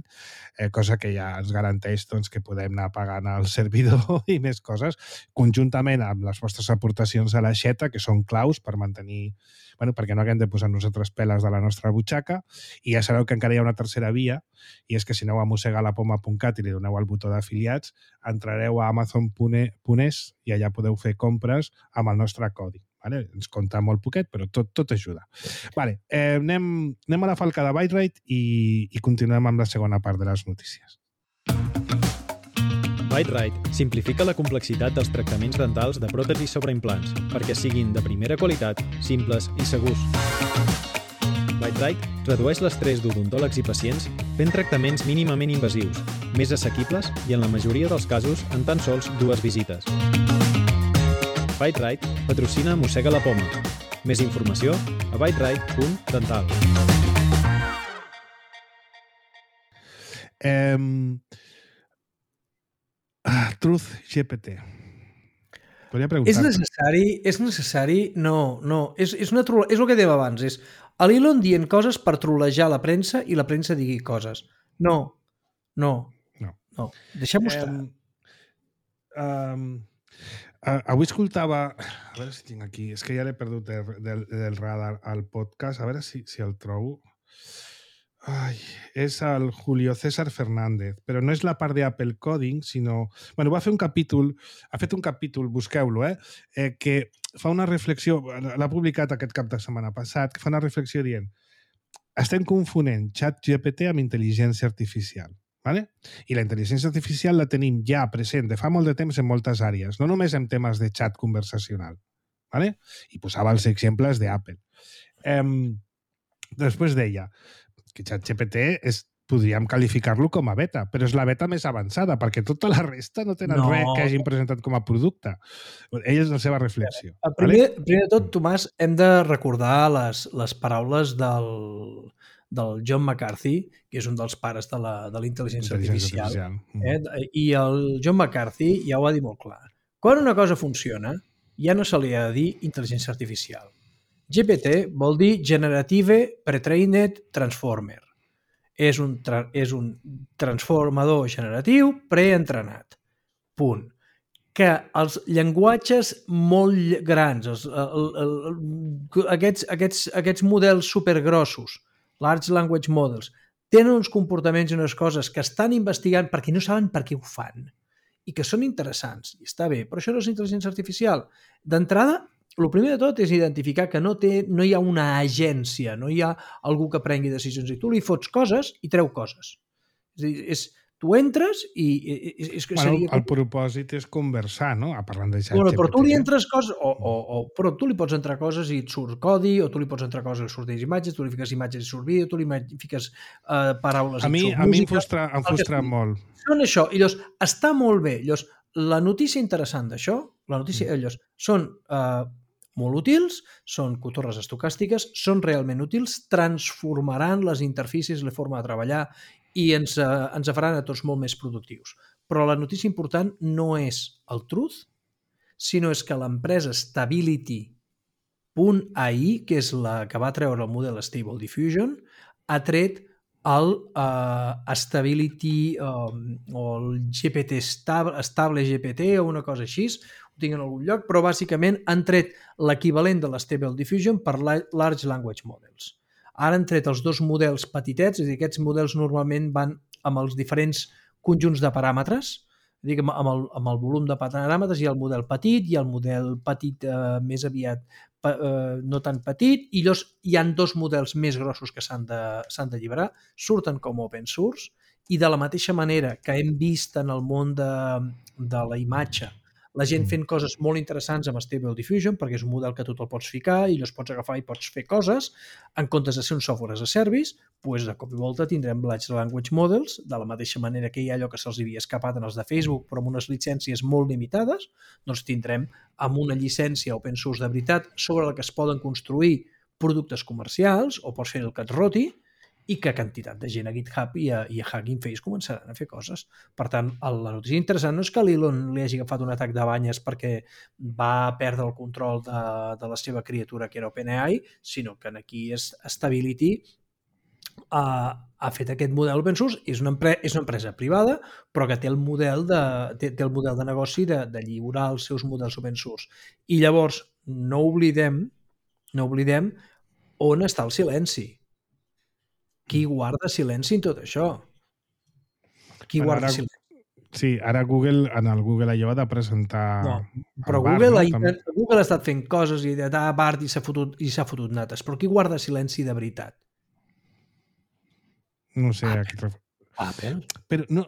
Speaker 2: eh, cosa que ja ens garanteix doncs, que podem anar pagant el servidor i més coses, conjuntament amb les vostres aportacions a la xeta, que són claus per mantenir, bueno, perquè no haguem de posar nosaltres peles de la nostra butxaca, i ja sabeu que encara hi ha una tercera via, i és que si aneu a mossegalapoma punt cat i li doneu al botó d'afiliats, entrareu a amazon punt es i allà podeu fer compres amb el nostre codi. Vale? Ens compta molt poquet, però tot, tot ajuda. Vale, eh, anem, anem a la falca de Byte-Rite i, i continuem amb la segona part de les notícies.
Speaker 5: Byte-Rite simplifica la complexitat dels tractaments dentals de pròtesis sobre implants perquè siguin de primera qualitat, simples i segurs. Byte-Rite redueix l'estrès d'odontòlegs i pacients fent tractaments mínimament invasius, més assequibles i en la majoria dels casos en tan sols dues visites. Byte-Rite patrocina Mossega la Poma. Més informació a byterite punt dental.
Speaker 2: Um, ah, Truth G P T. Podria preguntar.
Speaker 3: És necessari? És necessari? No, no. És, és, una trole... és el que dèiem abans. És l'Elon dient coses per trolejar la premsa i la premsa digui coses. No, no,
Speaker 2: no.
Speaker 3: no. Deixem-ho estar.
Speaker 2: Um, um, Uh, avui escoltava... A veure si tinc aquí... És que ja l'he perdut del, del, del radar al podcast. A veure si, si el trobo. Ai, és el Julio César Fernández, però no és la part d'Apple Coding, sinó... Bueno, va fer un capítol... Ha fet un capítol, busqueu-lo, eh? eh? Que fa una reflexió... L'ha publicat aquest cap de setmana passat, que fa una reflexió dient estem confonent ChatGPT amb intel·ligència artificial. Vale? I la intel·ligència artificial la tenim ja present de fa molt de temps en moltes àrees, no només en temes de xat conversacional. Vale? I posava els exemples d'Apple. Eh, després deia que ChatGPT és, podríem qualificar-lo com a beta, però és la beta més avançada, perquè tota la resta no tenen
Speaker 3: No.
Speaker 2: res que hagin presentat com a producte. Ella és la seva reflexió.
Speaker 3: Primer,
Speaker 2: vale?
Speaker 3: primer de tot, Tomàs, hem de recordar les, les paraules del, del John McCarthy, que és un dels pares de la, de la intel·ligència
Speaker 2: Intel·ligència
Speaker 3: artificial.
Speaker 2: artificial.
Speaker 3: Eh? I el John McCarthy ja ho va dir molt clar. Quan una cosa funciona, ja no se li ha de dir intel·ligència artificial. G P T vol dir Generative Pre-trained Transformer. És un, tra és un transformador generatiu preentrenat. Punt. Que els llenguatges molt grans, els, el, el, el, aquests, aquests, aquests models supergrossos, large language models, tenen uns comportaments i unes coses que estan investigant perquè no saben per què ho fan i que són interessants. I està bé, però això no és intel·ligència artificial. D'entrada, el primer de tot és identificar que no, té, no hi ha una agència, no hi ha algú que prengui decisions i tu li fots coses i treu coses. És a dir, és, tu entres i... És, és que
Speaker 2: bueno,
Speaker 3: seria...
Speaker 2: El propòsit és conversar, no? A parlant de ChatGPT.
Speaker 3: Bueno, però tu li entres coses, o, o, o, però tu li pots entrar coses i et surt codi, o tu li pots entrar coses i surten imatges, tu li fiques imatges i surt vídeo, tu li fiques uh, paraules
Speaker 2: a
Speaker 3: i
Speaker 2: mi,
Speaker 3: surt
Speaker 2: a
Speaker 3: música.
Speaker 2: mi em frustra, em frustra molt.
Speaker 3: Són això. I llavors, està molt bé. Llavors, la notícia interessant d'això, la notícia, mm. llavors, són... Uh, molt útils, són cotorres estocàstiques, són realment útils, transformaran les interfícies, la forma de treballar i ens, eh, ens faran a tots molt més productius. Però la notícia important no és el truth, sinó és que l'empresa Stability punt A I, que és la que va treure el model Stable Diffusion, ha tret el uh, Stability um, o el G P T Stable, Stable G P T o una cosa així, ho tinc en algun lloc, però bàsicament han tret l'equivalent de l'Stable Diffusion per Large Language Models. Ara han tret els dos models petitets, és a dir, aquests models normalment van amb els diferents conjunts de paràmetres, és a dir, amb el, amb el volum de paràmetres hi ha el model petit, hi ha el model petit eh, més aviat eh, no tan petit, i llavors hi han dos models més grossos que s'han de, s'han d'alliberar, surten com open source, i de la mateixa manera que hem vist en el món de, de la imatge, la gent fent coses molt interessants amb Stable Diffusion, perquè és un model que tu te'l pots ficar i llavors pots agafar i pots fer coses, en comptes de ser un software as a service, doncs de cop i volta tindrem Large Language Models, de la mateixa manera que hi ha allò que se'ls havia escapat en els de Facebook, però amb unes llicències molt limitades, doncs tindrem amb una llicència open source de veritat sobre la que es poden construir productes comercials, o pots fer el que et roti, i que quantitat de gent a GitHub i a, i a Hugging Face començaran a fer coses. Per tant, la notícia interessant no és que l'Elon li hagi agafat un atac de banyes perquè va perdre el control de, de la seva criatura, que era OpenAI, sinó que aquí és Stability ha, ha fet aquest model open source, és una, empre és una empresa privada, però que té el model de, té, té el model de negoci de, de lliurar els seus models open source. I llavors, no oblidem, no oblidem on està el silenci. Qui guarda silenci en tot això? Qui
Speaker 2: Però
Speaker 3: guarda
Speaker 2: ara,
Speaker 3: silenci?
Speaker 2: Sí, ara Google, en el Google I O ha de presentar...
Speaker 3: No, però
Speaker 2: bar,
Speaker 3: Google,
Speaker 2: no?
Speaker 3: ha, També... Google ha estat fent coses i ha dit, ah, Bart, i s'ha fotut, i s'ha fotut nates. Però qui guarda silenci de veritat?
Speaker 2: No sé
Speaker 3: Apple.
Speaker 2: a què et refer...
Speaker 3: Apple.
Speaker 2: Però no,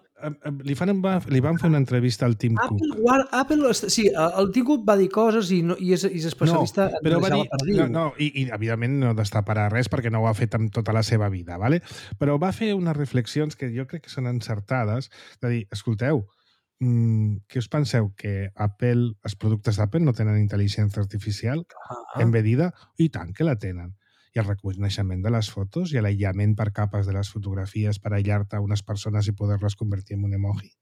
Speaker 2: li, fan, li van fer una entrevista al Tim
Speaker 3: Apple,
Speaker 2: Cook.
Speaker 3: guarda, Apple, sí, el Tim Cook va dir coses i, no, i, és, i és especialista
Speaker 2: no,
Speaker 3: en
Speaker 2: però va dir,
Speaker 3: per dir.
Speaker 2: no, no, i, i evidentment no destaparà res perquè no ho ha fet amb tota la seva vida, ¿vale? Però va fer unes reflexions que jo crec que són encertades, de dir, escolteu, mmm, què us penseu? Que Apple, els productes d'Apple no tenen intel·ligència artificial
Speaker 3: Ah.
Speaker 2: embedida? I tant que la tenen. I el reconeixement de les fotos i l'aïllament per capes de les fotografies per aïllar-te unes persones i poder-les convertir en un emoji.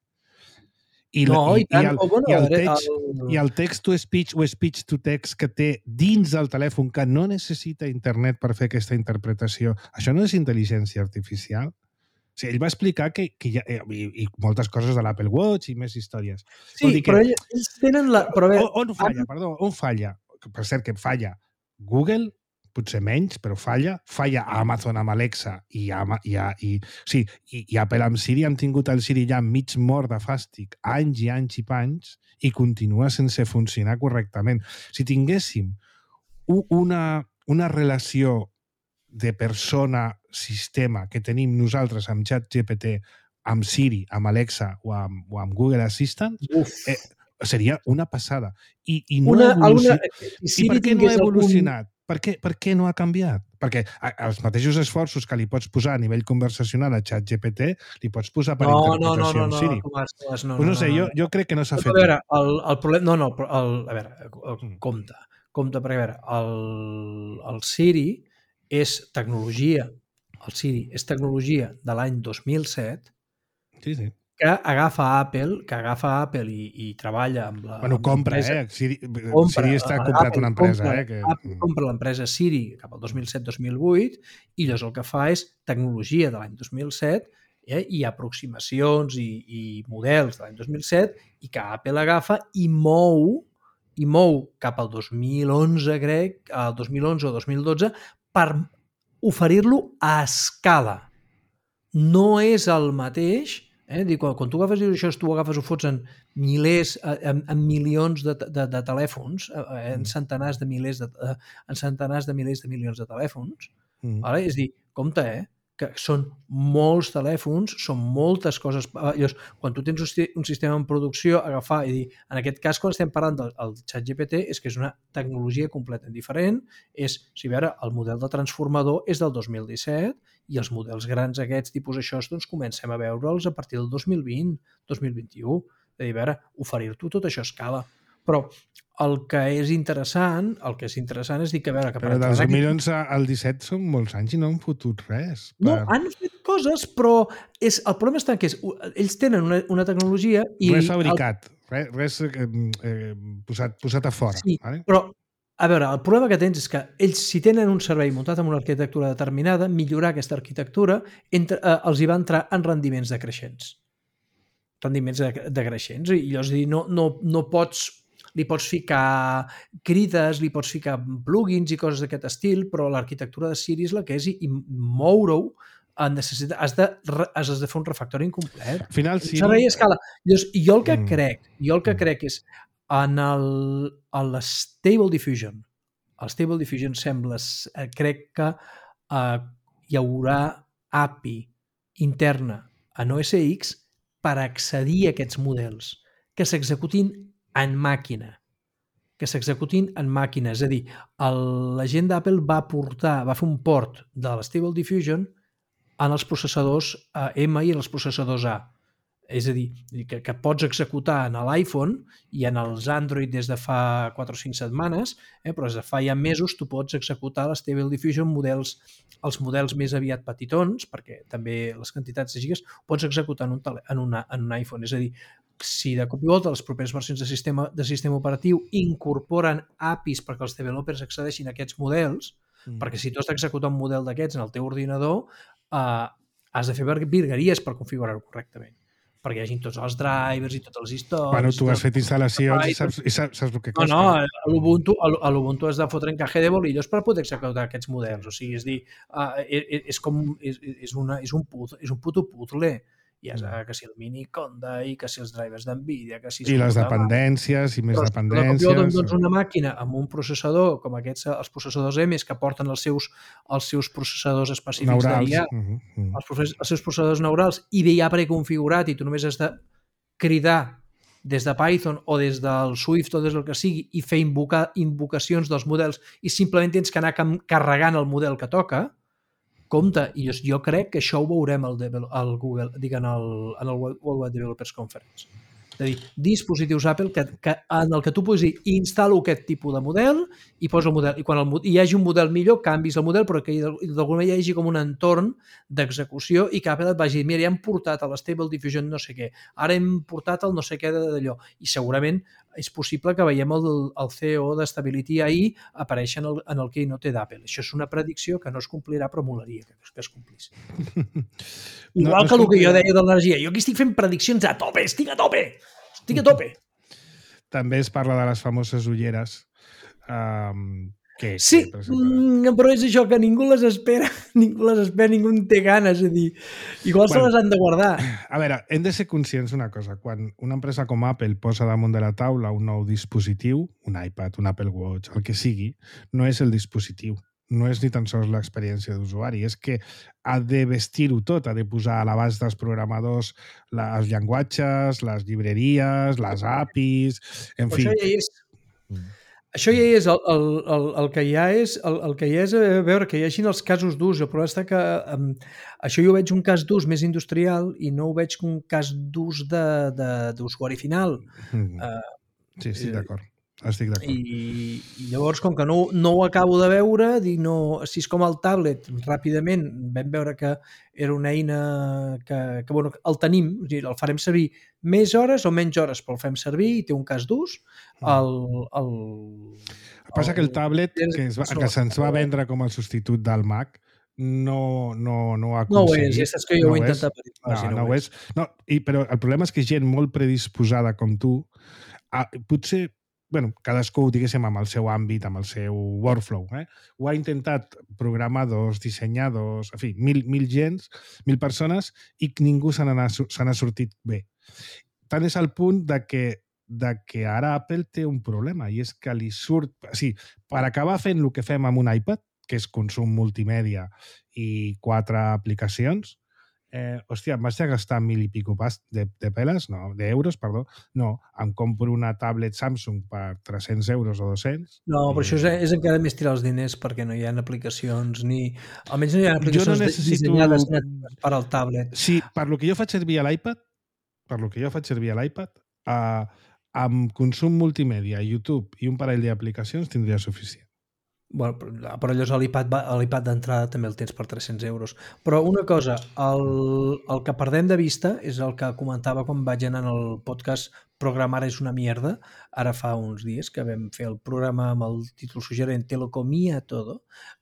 Speaker 2: I,
Speaker 3: no,
Speaker 2: i,
Speaker 3: i, tant,
Speaker 2: i, el,
Speaker 3: o bueno,
Speaker 2: i, el text,
Speaker 3: el...
Speaker 2: i el text-to-speech o speech-to-text que té dins del telèfon que no necessita internet per fer aquesta interpretació, això no és intel·ligència artificial? O sigui, ell va explicar que, que hi ha, i, i moltes coses de l'Apple Watch i més històries.
Speaker 3: Sí,
Speaker 2: dir
Speaker 3: però
Speaker 2: que,
Speaker 3: ells tenen la... Però bé,
Speaker 2: on, on falla, perdó, on falla? Per cert, que falla Google, potser menys, però falla. Falla Amazon amb Alexa i, a, i, a, i, sí, i, i Apple amb Siri. Han tingut el Siri ja mig mort de fàstic anys i anys i panys i continua sense funcionar correctament. Si tinguéssim una, una relació de persona-sistema que tenim nosaltres amb ChatGPT amb Siri, amb Alexa o amb, o amb Google Assistant, eh, seria una passada. I, i no
Speaker 3: una,
Speaker 2: ha evolucionat.
Speaker 3: alguna,
Speaker 2: I per què no ha evolucionat? Algun... Per, què, per què no ha canviat? Perquè els mateixos esforços que li pots posar a nivell conversacional a ChatGPT li pots posar per
Speaker 3: no,
Speaker 2: interpretació
Speaker 3: no, no, no,
Speaker 2: amb Siri.
Speaker 3: No, Tomàs, Tomàs, no,
Speaker 2: pues no,
Speaker 3: no,
Speaker 2: sé,
Speaker 3: no,
Speaker 2: jo,
Speaker 3: no.
Speaker 2: jo crec que no s'ha fet.
Speaker 3: A veure, el, el problema... No, no, el, a veure, el, compte. Compte, perquè a veure, el, el Siri és tecnologia. El Siri és tecnologia de l'any dos mil set
Speaker 2: sí, sí.
Speaker 3: que agafa Apple, que agafa Apple i, i treballa amb la
Speaker 2: Bueno,
Speaker 3: amb
Speaker 2: compra,
Speaker 3: l'empresa.
Speaker 2: eh? Siri,
Speaker 3: compra,
Speaker 2: Siri està comprat
Speaker 3: Apple
Speaker 2: una empresa,
Speaker 3: compra,
Speaker 2: eh? Que...
Speaker 3: Apple compra l'empresa Siri cap al dos mil set dos mil vuit i llavors el que fa és tecnologia de l'any dos mil set eh? i aproximacions i, i models de l'any dos mil set i que Apple agafa i mou i mou cap al dos mil onze, crec, al dos mil onze o dos mil dotze per oferir-lo a escala. No és el mateix. Eh? Dic, quan, quan tu agafes això, tu ho agafes, ho fots en milers, en, en milions de, de, de telèfons, en centenars de milers de, en centenars de milers de milions de telèfons. Mm. Vale? És dir, compte, eh? que són molts telèfons, són moltes coses. Llavors, quan tu tens un sistema en producció, agafar i dir, en aquest cas, quan estem parlant del, del ChatGPT, és que és una tecnologia completament diferent. És, si veure, el model de transformador és del dos mil disset i els models grans aquests, tipus això, doncs comencem a veure'ls a partir del dos mil vint, dos mil vint-i-u. De dir, a veure, oferir-t'ho tot això a escala. Però el que és interessant, el que és interessant és dir que, a veure... Que
Speaker 2: però del dos mil onze al disset són molts anys i no han fotut res.
Speaker 3: Per... No, han fet coses, però és, el problema està que és, ells tenen una, una tecnologia i...
Speaker 2: Res fabricat, el... res, res eh, eh, posat, posat a fora.
Speaker 3: Sí,
Speaker 2: vale?
Speaker 3: Però, a veure, el problema que tens és que ells, si tenen un servei muntat amb una arquitectura determinada, millorar aquesta arquitectura entre, eh, els hi va entrar en rendiments decreixents. Rendiments decreixents. I llavors dir, no, no, no pots... li pots ficar crides, li pots ficar plugins i coses d'aquest estil, però l'arquitectura de Siri és la que és i, i moure-ho necessita, has, de, has de fer un refactori incomplet.
Speaker 2: Al final, Siri...
Speaker 3: Servei a escala. Llavors, jo el que mm. crec, jo el que crec és en el, en la Stable Diffusion, el Stable Diffusion sembla, crec que uh, hi haurà A P I interna en O S X per accedir a aquests models que s'executin en màquina, que s'executin en màquina. És a dir, el, la gent d'Apple va portar, va fer un port de la Stable Diffusion en els processadors M i en els processadors A. És a dir, que, que pots executar en l'iPhone i en els Android des de fa quatre o cinc setmanes, eh, però des de fa ja mesos tu pots executar la Stable Diffusion models, els models més aviat petitons, perquè també les quantitats de gigas, pots executar en un, tele, en una, en un iPhone. És a dir, si de cop i volta les properes versions de sistema, de sistema operatiu incorporen A P Is perquè els developers accedeixin a aquests models, mm. perquè si tu has d'executar un model d'aquests en el teu ordinador, eh, has de fer virgueries per configurar-ho correctament, perquè hi hagi tots els drivers i tots els històrics...
Speaker 2: Bueno, tu has fet instal·lacions i saps, i saps, saps el que costa.
Speaker 3: No, no, a l'Ubuntu, a l'Ubuntu has de fotre encaje de bolillos per poder executar aquests models. O sigui, és dir, uh, és, és com... És, és, una, és, un, put, és un puto puzzle. I és que si el mini Conda i que si els drivers d'NVIDIA, que si...
Speaker 2: I les dependències i més
Speaker 3: però,
Speaker 2: dependències...
Speaker 3: Però doncs una màquina amb un processador com aquests, els processadors M que porten els seus, els seus processadors específics d'I A, uh -huh. els, els seus processadors neurals, i d'I A preconfigurat, i tu només has de cridar des de Python o des del Swift o des del que sigui i fer invocar, invocacions dels models i simplement tens que anar carregant el model que toca, compte, i jo, jo crec que això ho veurem al, al Google, dic, en el, en el World Wide Developers Conference. És a dir, dispositius Apple que, que, en el que tu puguis dir instal·lo aquest tipus de model i posa el model. I quan el, hi hagi un model millor, canvis el model, però que d'alguna manera hi hagi com un entorn d'execució i que Apple et vagi dir, mira, ja hem portat a l'Stable Diffusion no sé què, ara hem portat el no sé què d'allò. I segurament és possible que veiem el, el C E O de Stability A I aparèixer en el, en el keynote d'Apple. Això és una predicció que no es complirà, però molaria que, que es complís. Igual no, no que el que jo deia de l'energia. Jo aquí estic fent prediccions a tope, estic a tope! Estic a tope!
Speaker 2: També es parla de les famoses ulleres. Um, que,
Speaker 3: sí, que, mm, però és això, que ningú les espera, ningú les espera, ningú en té ganes, és a dir, igual bueno, se les han de guardar.
Speaker 2: A veure, hem de ser conscients d'una cosa. Quan una empresa com Apple posa damunt de la taula un nou dispositiu, un iPad, un Apple Watch, el que sigui, no és el dispositiu, no és ni tan sols l'experiència d'usuari, és que ha de vestir-ho tot, ha de posar a l'abast dels programadors els llenguatges, les llibreries, les A P Is, en
Speaker 3: Però
Speaker 2: fi.
Speaker 3: això ja és... Això ja és, el, el, el, el que hi ha és, el, el que hi ha és a veure, que hi hagin els casos d'ús. El problema està que um, això jo ho veig un cas d'ús més industrial i no ho veig com un cas d'ús d'usuari final.
Speaker 2: Mm.
Speaker 3: Uh,
Speaker 2: sí, estic d'acord. Estic d'acord.
Speaker 3: I, I llavors, com que no, no ho acabo de veure, dic, no, si és com el tablet, ràpidament vam veure que era una eina que, que bueno, el tenim, el farem servir més hores o menys hores, però el fem servir i té un cas d'ús. El, el,
Speaker 2: el que passa que el tablet, que, es va, que se'ns va vendre com el substitut del Mac, no, no, no ho ha aconseguit.
Speaker 3: No ho és, ja saps que jo
Speaker 2: no
Speaker 3: ho he intentat.
Speaker 2: No, no, no ho és. No, i, però el problema és que gent molt predisposada com tu, a, potser bueno, cadascú, diguéssim, amb el seu àmbit, amb el seu workflow. Eh? Ho ha intentat programadors, dissenyadors, en fi, mil, mil gens, mil persones, i ningú se n'ha sortit bé. Tant és el punt de que, de que ara Apple té un problema, i és que li surt... O sigui, per acabar fent el que fem amb un iPad, que és consum multimèdia i quatre aplicacions, Eh, hòstia, em vaig a gastar mil i pico pas de, de peles, no, d'euros, perdó. No, em compro una tablet Samsung per tres-cents euros o dos-cents.
Speaker 3: No, però
Speaker 2: i...
Speaker 3: això és, és encara més tirar els diners perquè no hi ha aplicacions ni... Almenys no hi ha aplicacions
Speaker 2: no necessito...
Speaker 3: dissenyades per al tablet.
Speaker 2: Sí, per lo que jo faig servir a l'iPad, per lo que jo faig servir a l'iPad, eh, amb consum multimèdia, YouTube i un parell d'aplicacions tindria suficient.
Speaker 3: Bueno, però llavors l'iPad d'entrada també el tens per tres-cents euros. Però una cosa, el, el que perdem de vista és el que comentava quan vaig anar en el podcast Programar és una mierda, ara fa uns dies que vam fer el programa amb el títol suggerent Te lo comía todo.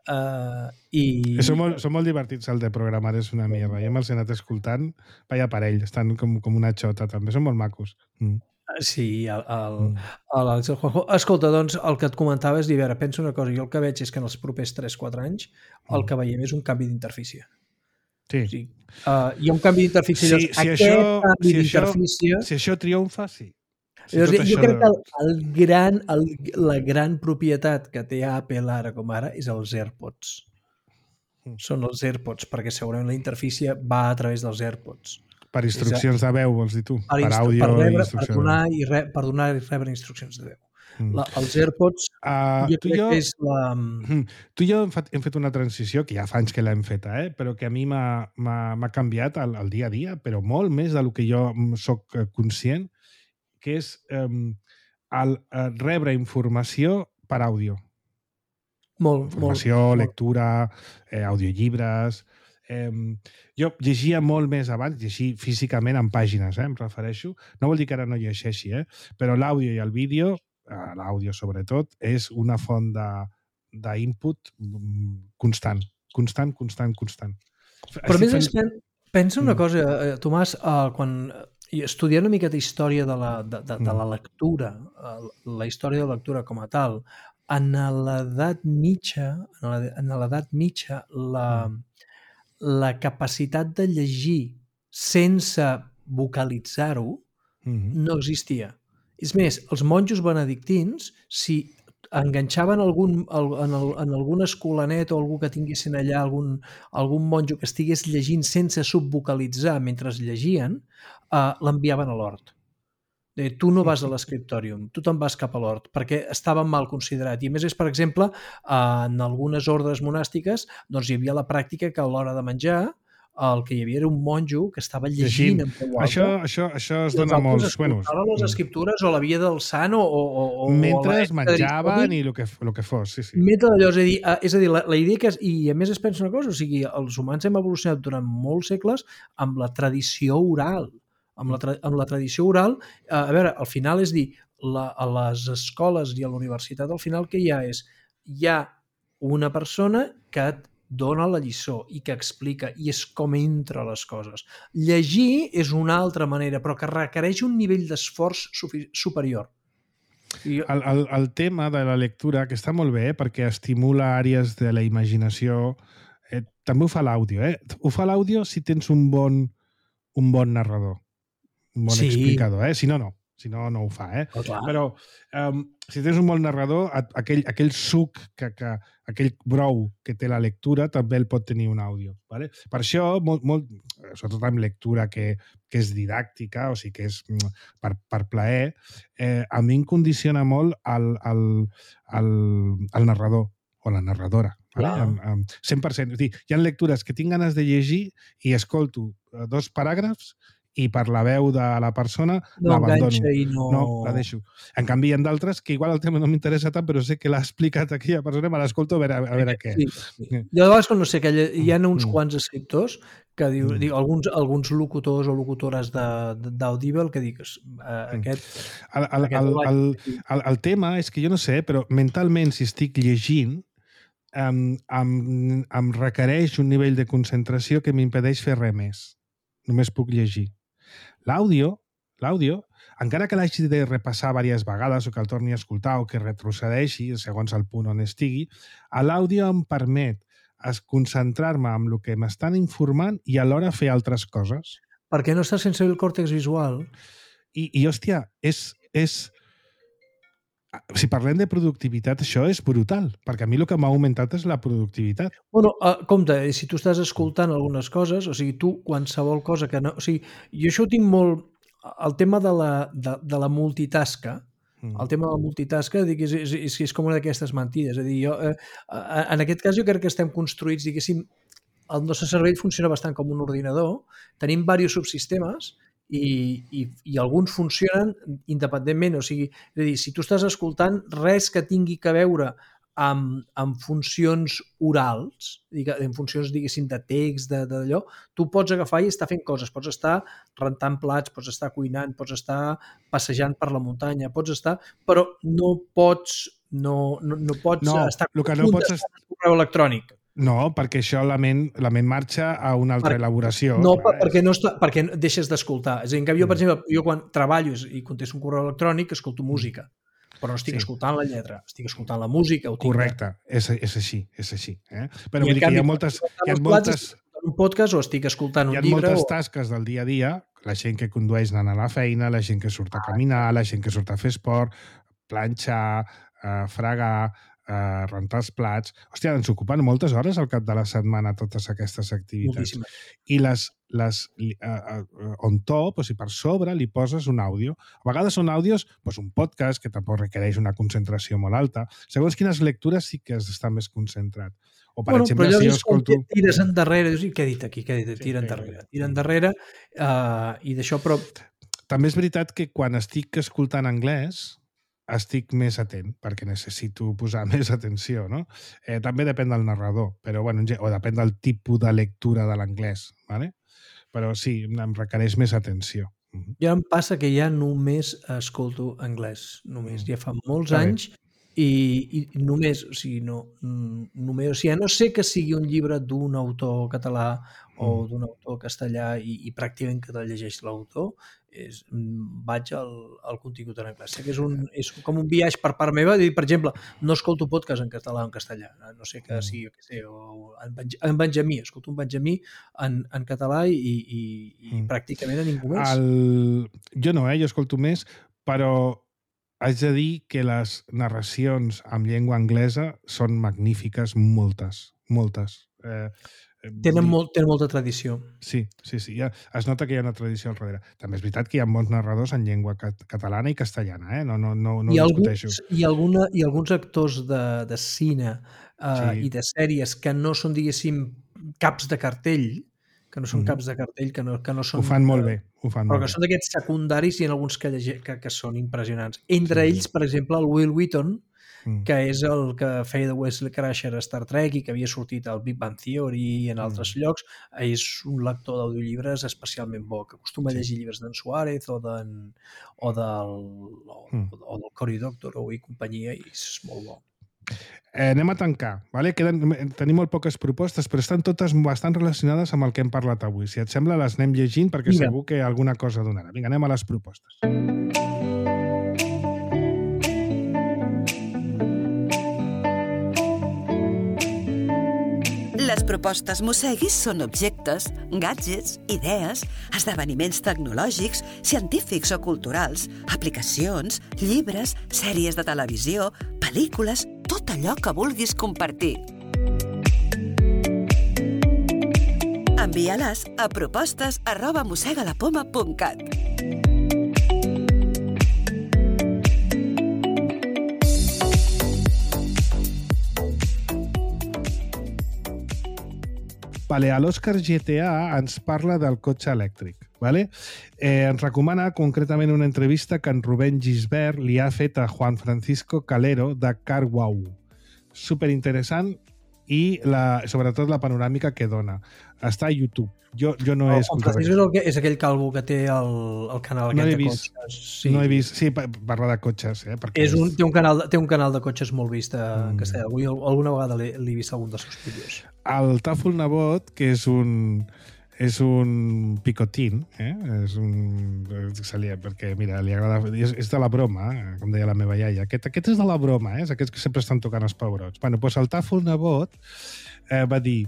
Speaker 3: Uh, i...
Speaker 2: Són molt, són molt divertits el de Programar és una mierda. Jo me'ls he anat escoltant, vaya parell, estan com, com una xota també, són molt macos. Mm.
Speaker 3: Sí, el, el, el, el Juanjo. Escolta, doncs, el que et comentava és dir, a veure, pensa una cosa, jo el que veig és que en els propers tres-quatre anys el que veiem és un canvi d'interfície.
Speaker 2: Sí.
Speaker 3: O sigui, uh, hi ha un canvi d'interfície.
Speaker 2: Sí,
Speaker 3: llavors,
Speaker 2: si
Speaker 3: aquest
Speaker 2: això,
Speaker 3: canvi
Speaker 2: si
Speaker 3: d'interfície...
Speaker 2: Això, si això triomfa, sí. Si
Speaker 3: llavors, jo
Speaker 2: això
Speaker 3: crec
Speaker 2: de...
Speaker 3: que el, el gran, el, la gran propietat que té Apple ara com ara és els AirPods. Mm. Són els AirPods, perquè segurament la interfície va a través dels AirPods.
Speaker 2: Per instruccions de veu, vols dir tu?
Speaker 3: Per,
Speaker 2: per àudio
Speaker 3: per, rebre,
Speaker 2: i
Speaker 3: per, donar i re, per donar i rebre instruccions de veu. Mm. La, els AirPods, uh, jo crec jo, que és la...
Speaker 2: Tu i jo hem fet, hem fet una transició, que ja fa anys que l'hem feta, eh? Però que a mi m'ha canviat el, el dia a dia, però molt més del que jo soc conscient, que és um, el, el rebre informació per àudio.
Speaker 3: Molt,
Speaker 2: informació,
Speaker 3: molt,
Speaker 2: lectura, eh, audiollibres... Eh, jo llegia molt més abans, llegir físicament en pàgines, eh, em refereixo. No vol dir que ara no llegeixi, eh? Però l'àudio i el vídeo, eh, l'àudio sobretot, és una font d'input constant. Constant, constant, constant.
Speaker 3: Però a més, fent... pensa una cosa, eh, Tomàs, eh, quan estudiant una miqueta història de la, de, de, de la lectura, eh, la història de la lectura com a tal, en l'edat mitja, en l'edat mitja, la... Mm. la capacitat de llegir sense vocalitzar-ho mm-hmm. no existia. És més, els monjos benedictins, si enganxaven algun, en, el, en algun escolanet o algú que tinguessin allà, algun, algun monjo que estigués llegint sense subvocalitzar mentre llegien, eh, l'enviaven a l'hort. Tu no vas a l'escriptòrium, tu te'n vas cap a l'hort, perquè estava mal considerat. I a més és, per exemple, en algunes ordres monàstiques doncs hi havia la pràctica que a l'hora de menjar el que hi havia era un monjo que estava llegint, llegint. en veu alta.
Speaker 2: Això, això, això es dona molts...
Speaker 3: Bueno, les escriptures o la via del sant o... o, o
Speaker 2: mentre es menjaven i el que, el que fos, sí, sí.
Speaker 3: Mentre allò, és a dir, és a dir la, la idea que... És, i a més es pensa una cosa, o sigui, els humans hem evolucionat durant molts segles amb la tradició oral. Amb la, tra amb la tradició oral, eh, a veure, al final és dir, la, a les escoles i a la universitat, al final que hi ha és, hi ha una persona que et dona la lliçó i que explica, i és com entra les coses. Llegir és una altra manera, però que requereix un nivell d'esforç superior.
Speaker 2: I... El, el, el tema de la lectura, que està molt bé, eh, perquè estimula àrees de la imaginació, eh, també ho fa l'àudio. Eh? Ho fa l'àudio si tens un bon, un bon narrador. Un bon sí. explicador, eh? Si no, no. Si no, no ho fa, eh?
Speaker 3: Oh, clar.
Speaker 2: Però um, si tens un bon narrador, aquell, aquell suc, que, que, aquell brou que té la lectura, també el pot tenir un àudio. Vale? Per això, molt, molt, sobretot amb lectura que, que és didàctica, o sigui que és per, per plaer, eh, a mi em condiciona molt el, el, el, el narrador o la narradora. Vale? Amb, amb cent per cent. És dir, hi ha lectures que tinc ganes de llegir i escolto dos paràgrafs i per la veu de la persona
Speaker 3: no
Speaker 2: l'abandono.
Speaker 3: I no...
Speaker 2: no, la deixo. En canvi, hi ha d'altres que igual el tema no m'interessa tant, però sé que l'ha explicat aquella persona, me l'escolto a veure, a veure què.
Speaker 3: Sí, sí. Jo de vegades, no sé, que hi ha uns
Speaker 2: mm.
Speaker 3: quants escriptors que diu, mm. diu alguns, alguns locutors o locutores d'Audible que digues, eh, aquest...
Speaker 2: El, el,
Speaker 3: aquest
Speaker 2: el, el, el, el tema és que jo no sé, però mentalment, si estic llegint, em, em, em requereix un nivell de concentració que m'impedeix fer res més. Només puc llegir. L'àudio, l'àudio, encara que l'hagi de repassar diverses vegades o que el torni a escoltar o que retrocedeixi segons el punt on estigui, l'àudio em permet concentrar-me en el que m'estan informant i alhora fer altres coses.
Speaker 3: Perquè no estàs sense el còrtex visual.
Speaker 2: I, i hòstia, és... és si parlem de productivitat, això és brutal, perquè a mi el que m'ha augmentat és la productivitat.
Speaker 3: Bueno, uh, compte, si tu estàs escoltant algunes coses, o sigui, tu qualsevol cosa que no... O sigui, jo això ho tinc molt... El tema de la, de, de la multitasca, mm. el tema de la multitasca, dic, és, és, és, és com una d'aquestes mentides. És a dir, jo, eh, en aquest cas jo crec que estem construïts, diguéssim, el nostre cervell funciona bastant com un ordinador, tenim diversos subsistemes, I, i, i alguns funcionen independentment, o sigui, és a dir, si tu estàs escoltant res que tingui que veure amb, amb funcions orals, en funcions, diguéssim, de text, d'allò, tu pots agafar i estar fent coses, pots estar rentant plats, pots estar cuinant, pots estar passejant per la muntanya, pots estar, però no pots, no, no, no pots
Speaker 2: no,
Speaker 3: estar
Speaker 2: el que no pots est...
Speaker 3: un correu electrònic.
Speaker 2: No, perquè això la ment, la ment marxa a una altra
Speaker 3: per,
Speaker 2: elaboració.
Speaker 3: No, per, perquè, no està, perquè deixes d'escoltar. És a dir, en canvi, jo, per exemple, jo quan treballo i contesto un correu electrònic, escolto música, però no estic sí. escoltant la lletra, estic escoltant la música.
Speaker 2: Correcte, de... és, és així, és així. Eh? Però
Speaker 3: I
Speaker 2: vull dir
Speaker 3: canvi,
Speaker 2: que hi ha moltes... Hi ha moltes...
Speaker 3: un podcast o estic escoltant un
Speaker 2: llibre...
Speaker 3: Hi ha
Speaker 2: moltes
Speaker 3: o...
Speaker 2: tasques del dia a dia, la gent que condueix anant a la feina, la gent que surt a caminar, la gent que surt a fer esport, planxar, eh, fregar, Uh, rentar els plats... Hòstia, ens ocupen moltes hores al cap de la setmana totes aquestes activitats.
Speaker 3: Moltíssimes.
Speaker 2: I les, les uh, uh, on top, o sigui, per sobre, li poses un àudio. A vegades són àudios, doncs un podcast, que tampoc requereix una concentració molt alta. Segons quines lectures sí que has d'estar més concentrat. O, per
Speaker 3: bueno,
Speaker 2: exemple,
Speaker 3: però
Speaker 2: si jo escolto...
Speaker 3: Tires endarrere, dius, què he dit aquí? Què he dit? Tira sí, endarrere. Tira endarrere, uh, i d'això, però...
Speaker 2: També és veritat que quan estic escoltant anglès, estic més atent, perquè necessito posar més atenció, no? Eh, també depèn del narrador, però, bueno, o depèn del tipus de lectura de l'anglès, ¿vale? Però sí, em requereix més atenció.
Speaker 3: Ja em passa que ja només escolto anglès, només. Ja fa molts anys i, i només, o sigui, no, només, o sigui, a no sé que sigui un llibre d'un autor català o d'un autor castellà i, i pràcticament que te'l llegeix l'autor, és, vaig al, al contingut en anglès. Sé que és, un, és com un viatge per part meva. Per exemple, no escolto podcast en català o en castellà. No sé que sigui, que sé, o en, en Benjamí. Escolto un Benjamí en, en català i, i, i mm. pràcticament a ningú més.
Speaker 2: El... Jo no, eh? Jo escolto més, però haig de dir que les narracions en llengua anglesa són magnífiques, moltes, moltes. Eh,
Speaker 3: Tenen, molt, tenen molta tradició.
Speaker 2: Sí, sí, sí. Ja es nota que hi ha una tradició al darrere. També és veritat que hi ha bons narradors en llengua cat catalana i castellana, eh? No, no, no, no
Speaker 3: I
Speaker 2: ho
Speaker 3: alguns,
Speaker 2: discuteixo.
Speaker 3: I, alguna, I alguns actors de, de cine uh, sí. i de sèries que no són, diguéssim, caps de cartell, que no són mm. caps de cartell, que no, que no són...
Speaker 2: Ho fan molt bé. Ho fan
Speaker 3: però
Speaker 2: molt
Speaker 3: que
Speaker 2: bé.
Speaker 3: són d'aquests secundaris i en alguns que, que, que són impressionants. Entre sí. ells, per exemple, el Will Wheaton, que és el que feia de Wesley Crusher a Star Trek i que havia sortit al Big Bang Theory i en altres mm. llocs, és un lector d'audiollibres especialment bo, que acostuma a llegir sí. llibres d'en Suárez o, o, del, o, mm. o del Cory Doctorow i companyia, i és molt bo.
Speaker 2: Eh, anem a tancar. Vale? Queden, tenim molt poques propostes, però estan totes bastant relacionades amb el que hem parlat avui. Si et sembla, les anem llegint perquè Vinga. Segur que alguna cosa donarà. Vinga, anem a les propostes.
Speaker 4: Les propostes Mosseguis són objectes, gadgets, idees, esdeveniments tecnològics, científics o culturals, aplicacions, llibres, sèries de televisió, pel·lícules, tot allò que vulguis compartir. Envia-les a propostes arroba mossegalapoma punt cat.
Speaker 2: Vale, a l'Òscar G T A ens parla del cotxe elèctric. Vale? Eh, ens recomana concretament una entrevista que en Rubén Gisbert li ha fet a Juan Francisco Calero de CarWow. Superinteressant i la, sobretot la panoràmica que dona. Està a YouTube. Jo, jo no he
Speaker 3: Juan Francisco és, el que, és aquell calvo que té el, el canal
Speaker 2: no
Speaker 3: aquest
Speaker 2: he
Speaker 3: de
Speaker 2: vist,
Speaker 3: cotxes. Sí.
Speaker 2: No he vist. Sí, parla de cotxes. Eh, perquè
Speaker 3: és un, té, un canal, té un canal de cotxes molt vist en
Speaker 2: mm.
Speaker 3: castellà. Avui alguna vegada l'he vist algun dels seus vídeos.
Speaker 2: El Tàfol Nebot, que és un és un picotín, eh? És un... Li, perquè, mira, li agrada... És, és de la broma, eh? Com deia la meva iaia. Aquest, aquest és de la broma, eh? És aquests que sempre estan tocant els pebrots. Bueno, doncs el Tàfol Nebot eh, va dir...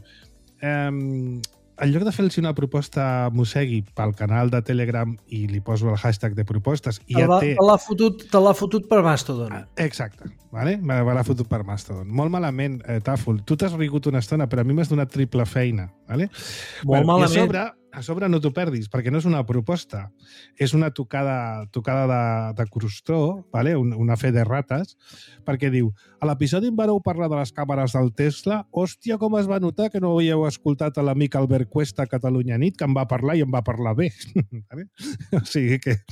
Speaker 2: Eh, en lloc de fer-los una proposta Mossegui pel canal de Telegram i li poso el hashtag de propostes i
Speaker 3: te
Speaker 2: ja té...
Speaker 3: Te l'ha fotut, te l'ha fotut per Mastodon.
Speaker 2: Exacte, vale? me l'ha fotut per Mastodon. Molt malament, eh, Tàfol. Tu t'has rigut una estona, però a mi m'has donat triple feina. Vale?
Speaker 3: Molt
Speaker 2: bueno,
Speaker 3: malament.
Speaker 2: I a sobre, a sobre no t'ho perdis, perquè no és una proposta, és una tocada, tocada de, de crostó, vale? Un, una fe de rates, perquè diu, a l'episodi en vareu parlar de les càmeres del Tesla, hòstia, com es va notar que no havíeu escoltat a l'amic Albert Cuesta a Catalunya Nit, que em va parlar i em va parlar bé. Vale? O sigui que...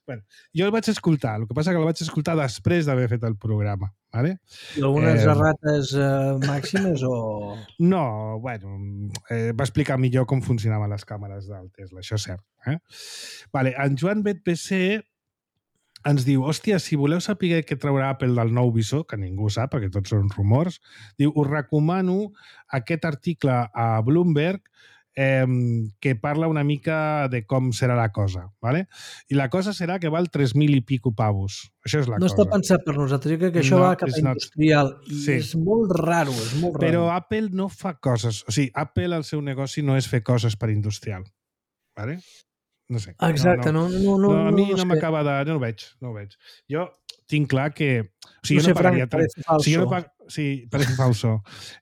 Speaker 2: Bueno, jo el vaig escoltar, el que passa que el vaig escoltar després d'haver fet el programa. Vale?
Speaker 3: I algunes
Speaker 2: eh,
Speaker 3: errates eh, màximes o...?
Speaker 2: No, bueno, eh, va explicar millor com funcionaven les càmeres del Tesla, això és cert. Eh? Vale, en Joan Bet P C ens diu, hòstia, si voleu saber què traurà Apple del nou visor, que ningú sap, perquè tots són rumors, diu, us recomano aquest article a Bloomberg eh, que parla una mica de com serà la cosa, ¿vale? I la cosa serà que val tres mil i pico pavos. Això és la
Speaker 3: no
Speaker 2: cosa.
Speaker 3: No està pensat per nosaltres, jo crec que això
Speaker 2: no,
Speaker 3: va cap a industrial i
Speaker 2: sí.
Speaker 3: és molt raro, és molt raro.
Speaker 2: Però Apple no fa coses, o sigui, Apple el seu negoci no és fer coses per industrial, ¿vale? No sé.
Speaker 3: Exacte, no, no, no, no,
Speaker 2: no, a mi
Speaker 3: no,
Speaker 2: no,
Speaker 3: no
Speaker 2: m'acaba de... No ho veig, no ho veig. Jo tinc clar que... O sigui,
Speaker 3: no
Speaker 2: jo
Speaker 3: sé,
Speaker 2: no pagaria...
Speaker 3: Frank, parece falso.
Speaker 2: O sigui, jo no pag... Sí, parece falso.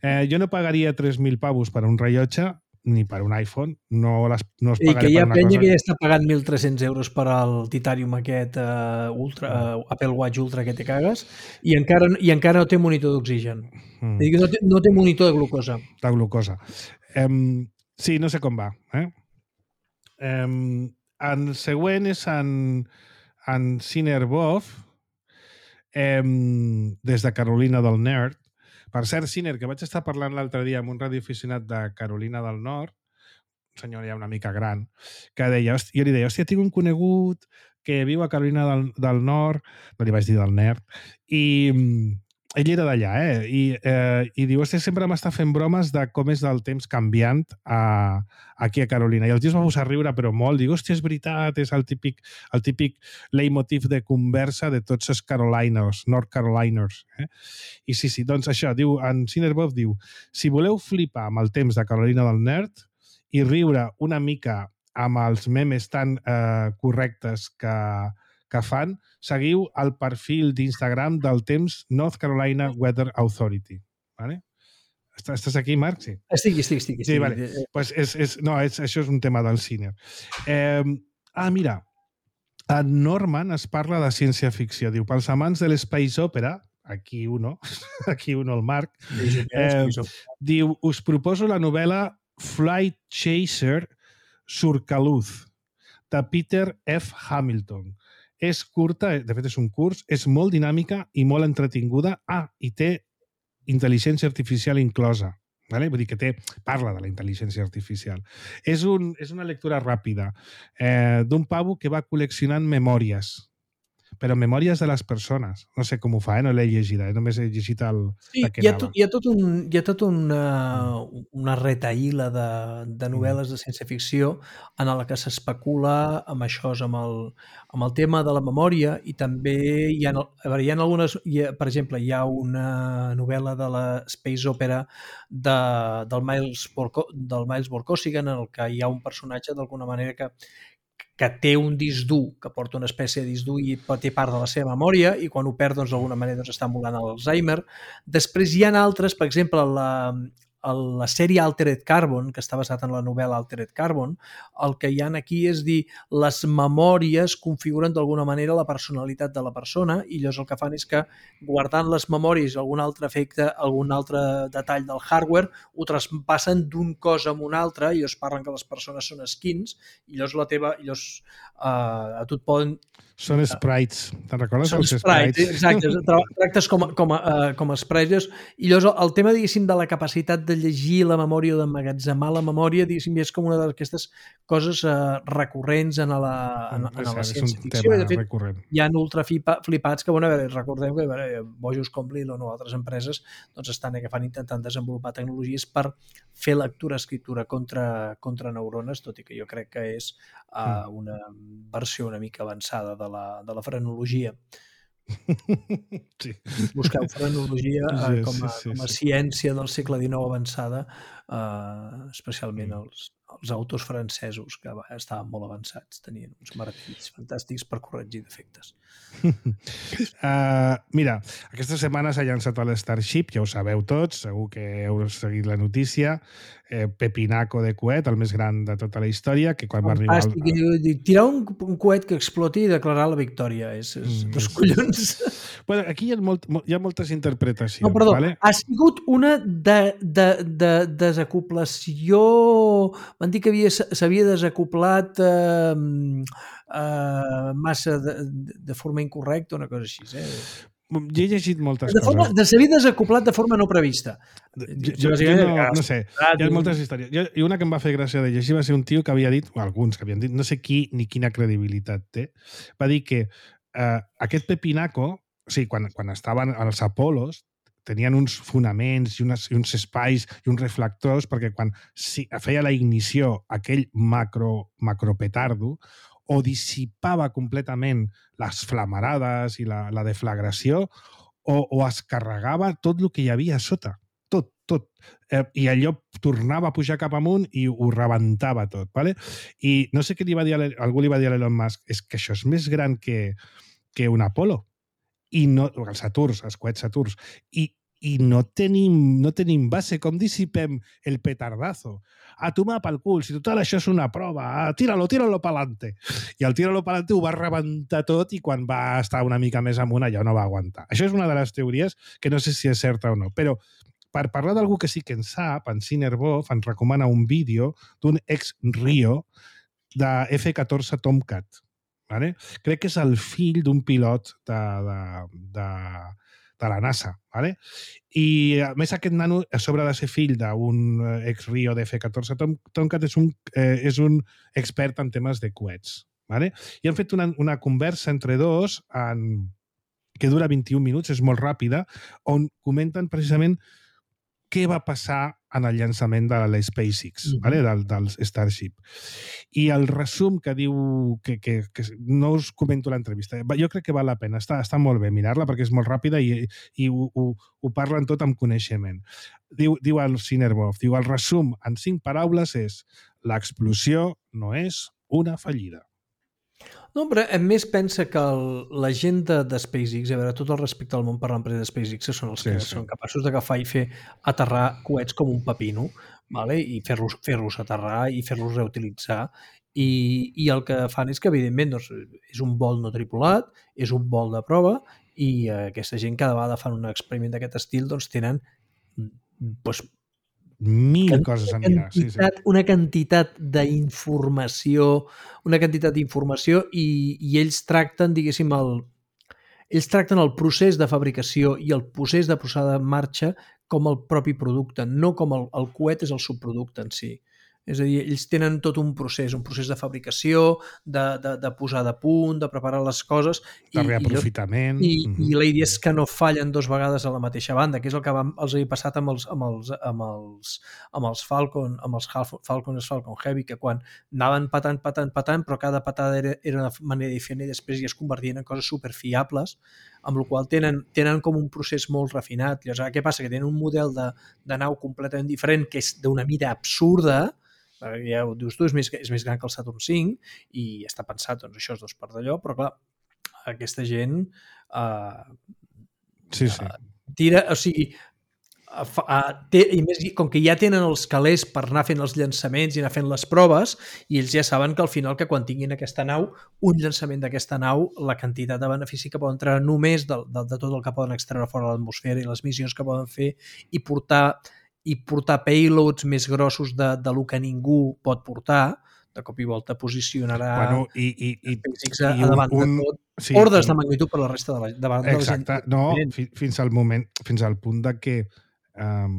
Speaker 2: Eh, jo no pagaria tres mil pavos per un rellotge ni per un iPhone. No, les, no els pagaré
Speaker 3: per una cosa... I que hi ha penya
Speaker 2: cosa...
Speaker 3: que ja està pagant mil tres-cents euros per al Titanium aquest uh, ultra, uh, Apple Watch Ultra que te cagues i encara, i encara no té monitor d'oxigen. Mm. Dir que no té, no té monitor de glucosa.
Speaker 2: De glucosa. Um, sí, no sé com va. Eh? Um, el següent és en, en Sinner-Boff, eh, des de Carolina del Nord. Per cert, Sinner, que vaig estar parlant l'altre dia amb un radioaficionat de Carolina del Nord, un senyor ja una mica gran, que deia, jo li deia, hòstia, tinc un conegut que viu a Carolina del, del Nord, no li vaig dir del Nord, i ell era d'allà, eh? I, eh, i diu, hòstia, sempre m'està fent bromes de com és del temps canviant a, aquí a Carolina. I el tio es va posar a riure, però molt. Diu, hòstia, és veritat, és el típic, el típic leitmotiv de conversa de tots els Caroliners, North Caroliners. Eh? I sí, sí, doncs això, diu, en Sinner-Boff diu, si voleu flipar amb el temps de Carolina del Nord i riure una mica amb els memes tan eh, correctes que, que fan, seguiu el perfil d'Instagram del temps North Carolina Weather Authority. Vale? Estàs aquí, Marc? Sí.
Speaker 3: Estic, estic, estic. estic.
Speaker 2: Sí, vale. Pues és, és, no, és, això és un tema del cine. Eh, ah, mira, en Norman es parla de ciència-ficció. Diu, pels amants de l'Space Opera, aquí uno, aquí uno el Marc, eh, diu, us proposo la novel·la Flight Chaser Surcaluz, de Peter F. Hamilton. És curta, de fet és un curs, és molt dinàmica i molt entretinguda. Ah, i té intel·ligència artificial inclosa. Vale? Vull dir que té, parla de la intel·ligència artificial. És, un, és una lectura ràpida eh, d'un pavo que va col·leccionant memòries. però memòries de les persones. No sé com ho fa, eh? No l'he llegida, eh? Només he llegit el...
Speaker 3: Sí, hi ha, tot, hi ha tot un, hi ha tot una, una retaïla de, de novel·les de ciència-ficció en la que s'especula amb això, amb el, amb el tema de la memòria, i també hi ha, a veure, hi ha algunes... Hi ha, per exemple, hi ha una novel·la de la Space Opera de, del, Miles Borko, del Miles Borkosigan, en el que hi ha un personatge d'alguna manera que que té un disc dur, que porta una espècie de disc dur i té part de la seva memòria, i quan ho perd, doncs, d'alguna manera doncs, està emulant l'Alzheimer. Després hi ha altres, per exemple, la, la sèrie Altered Carbon, que està basat en la novel·la Altered Carbon, el que hi ha aquí és dir, les memòries configuren d'alguna manera la personalitat de la persona, i llavors el que fan és que, guardant les memòries algun altre efecte, algun altre detall del hardware, ho traspassen d'un cos a un altre, i llavors parlen que les persones són skins, i llavors la teva... I llavors, uh, a tu et poden...
Speaker 2: Són sprites, te'n recordes?
Speaker 3: Són sprites, exacte, tractes com a, com a, uh, com a sprites, i llavors el tema, diguéssim, de la capacitat de llegir la memòria o d'emmagatzemar la memòria, diguéssim, és com una d'aquestes coses uh, recurrents en la, en, en la ciència-ficció. De fet,
Speaker 2: recurrent.
Speaker 3: Hi ha ultra flipats que, bueno, a veure, recordem que a veure, bojos com Lilo o altres empreses doncs estan agafant, intentant desenvolupar tecnologies per fer lectura-escriptura contra, contra neurones, tot i que jo crec que és uh, una versió una mica avançada de la, de la frenologia.
Speaker 2: Sí.
Speaker 3: Busqueu frenologia uh,
Speaker 2: sí,
Speaker 3: com, a,
Speaker 2: sí, sí,
Speaker 3: com a
Speaker 2: sí.
Speaker 3: ciència del segle dinou avançada, uh, especialment els, els autors francesos, que estaven molt avançats, tenien uns martells fantàstics per corregir defectes.
Speaker 2: Uh, mira, aquesta setmana s'ha llançat el Starship, ja ho sabeu tots, segur que heu seguit la notícia, eh, pepinaco de coet, el més gran de tota la història, que quan
Speaker 3: Fantàstic.
Speaker 2: va arribar...
Speaker 3: Al... Tirar un, un coet que exploti i declarar la victòria, és, és mm, dos collons.
Speaker 2: Bueno, aquí hi ha, molt, hi ha moltes interpretacions.
Speaker 3: No, perdó,
Speaker 2: vale?
Speaker 3: Ha sigut una de, de, de desacoplació... Van dir que s'havia desacoplat eh, eh, massa de, de forma incorrecta, una cosa així. Eh?
Speaker 2: Jo he llegit moltes
Speaker 3: de forma,
Speaker 2: coses.
Speaker 3: De s'havia desacoplat de forma no prevista.
Speaker 2: Jo, jo, jo no, no sé, hi ha moltes històries. Jo, I una que em va fer gràcia de llegir va ser un tio que havia dit, o alguns que havien dit, no sé qui ni quina credibilitat té, va dir que eh, aquest pepinaco, o sigui, quan, quan estaven als Apolos, tenien uns fonaments i, unes, i uns espais i uns reflectors perquè quan si, feia la ignició aquell macro, macropetardo o dissipava completament les flamarades i la, la deflagració o, o es carregava tot el que hi havia a sota. Tot, tot. Eh, I allò tornava a pujar cap amunt i ho rebentava tot. ¿Vale? I no sé què li va dir, algú li va dir a l'Elon Musk, és que això és més gran que, que un Apolo. I no, els Saturns, els coets Saturns. I, i no, tenim, no tenim base. Com dissipem el petardazo? A tomar pel cul, si total això és una prova, ah, tíralo, tíralo pa'lante. I el tíralo pa'lante ho va rebentar tot i quan va estar una mica més amunt allò no va aguantar. Això és una de les teories que no sé si és certa o no, però per parlar d'algú que sí que en sap, en Cinerbov ens recomana un vídeo d'un ex-Rio de F catorze Tomcat. Vale? Crec que és el fill d'un pilot de, de, de, de la NASA. Vale? I, a més, aquest nano, a sobre de ser fill d'un ex-Rio de F catorze Tomcat, és un, eh, és un expert en temes de coets. Vale? I han fet una, una conversa entre dos en, que dura vint-i-un minuts, és molt ràpida, on comenten precisament què va passar en el llançament de la SpaceX, mm-hmm. vale? del, del Starship. I el resum que diu, que, que, que no us comento l'entrevista, jo crec que val la pena, està, està molt bé mirar-la perquè és molt ràpida i, i ho, ho, ho parlen tot amb coneixement. Diu, diu el Cinerbov, diu, el resum en cinc paraules és l'explosió no és una fallida.
Speaker 3: No, però a més pensa que el, la gent de, de SpaceX, a veure, tot el respecte al món per l'empresa de SpaceX, que són els sí, que sí. són capaços d'agafar i fer aterrar coets com un pepino, vale? I fer-los fer-los aterrar i fer-los reutilitzar. I, I el que fan és que, evidentment, doncs, és un vol no tripulat, és un vol de prova, i eh, aquesta gent cada vegada fan un experiment d'aquest estil, doncs tenen doncs,
Speaker 2: mil coses a mirar. Sí, sí.
Speaker 3: Una quantitat d'informació, una quantitat d'informació i, i ells tracten, diguéssim, el, ells tracten el procés de fabricació i el procés de posada en marxa com el propi producte, no com el, el coet és el subproducte en si. És a dir, ells tenen tot un procés, un procés de fabricació, de, de, de posar de punt, de preparar les coses.
Speaker 2: De reaprofitament.
Speaker 3: I, i, i la idea és que no fallen dos vegades a la mateixa banda, que és el que vam, els havia passat amb els, amb els, amb els, amb els Falcon, amb els Falcon, els Falcon Heavy, que quan anaven patant, patant, patant, però cada patada era, era de manera diferent i després ja es convertien en coses superfiables, amb la qual tenen, tenen com un procés molt refinat. Llavors, què passa? Que tenen un model de, de nau completament diferent, que és d'una mida absurda, ja ho dius tu, és més, és més gran que el Saturn cinc i està pensat, doncs això és dos per d'allò, però clar, aquesta gent uh,
Speaker 2: sí, sí.
Speaker 3: Uh, tira, o sigui, uh, uh, té, i més, com que ja tenen els calés per anar fent els llançaments i anar fent les proves, i ells ja saben que al final, que quan tinguin aquesta nau, un llançament d'aquesta nau, la quantitat de benefici que poden treure només de, de, de tot el que poden extreure fora de l'atmosfera i les missions que poden fer i portar i portar payloads més grossos de, de lo que ningú pot portar, de cop i volta posicionarà
Speaker 2: bueno, i, i, i,
Speaker 3: a, a davant un, de tot, sí, ordes de magnitud per la resta de la, davant de la gent.
Speaker 2: Exacte, no, fins al moment, fins al punt de que um,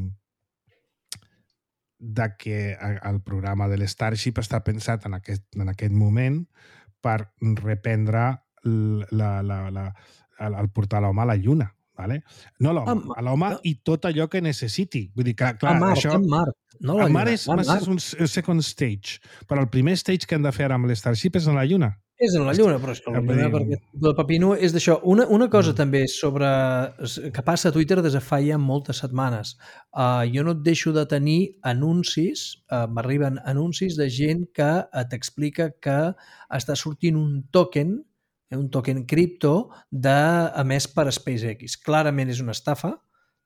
Speaker 2: de que el programa de l'Starship està pensat en aquest, en aquest moment per reprendre la, la, la, el, el portar l'home a la Lluna. Vale? No l'home, a l'home i tot allò que necessiti. Vull dir que, clar,
Speaker 3: a Mart,
Speaker 2: això...
Speaker 3: a Mart. No
Speaker 2: a Mart és, és un second stage, però el primer stage que hem de fer ara amb l'Starship és en la Lluna.
Speaker 3: És en la Lluna, però és que la Lluna, perquè el Pepino és d'això. Una, una cosa mm. també sobre que passa a Twitter des de fa ja moltes setmanes. Uh, jo no et deixo de tenir anuncis, uh, m'arriben anuncis de gent que t'explica que està sortint un token un token cripto de, emès per SpaceX. Clarament és una estafa.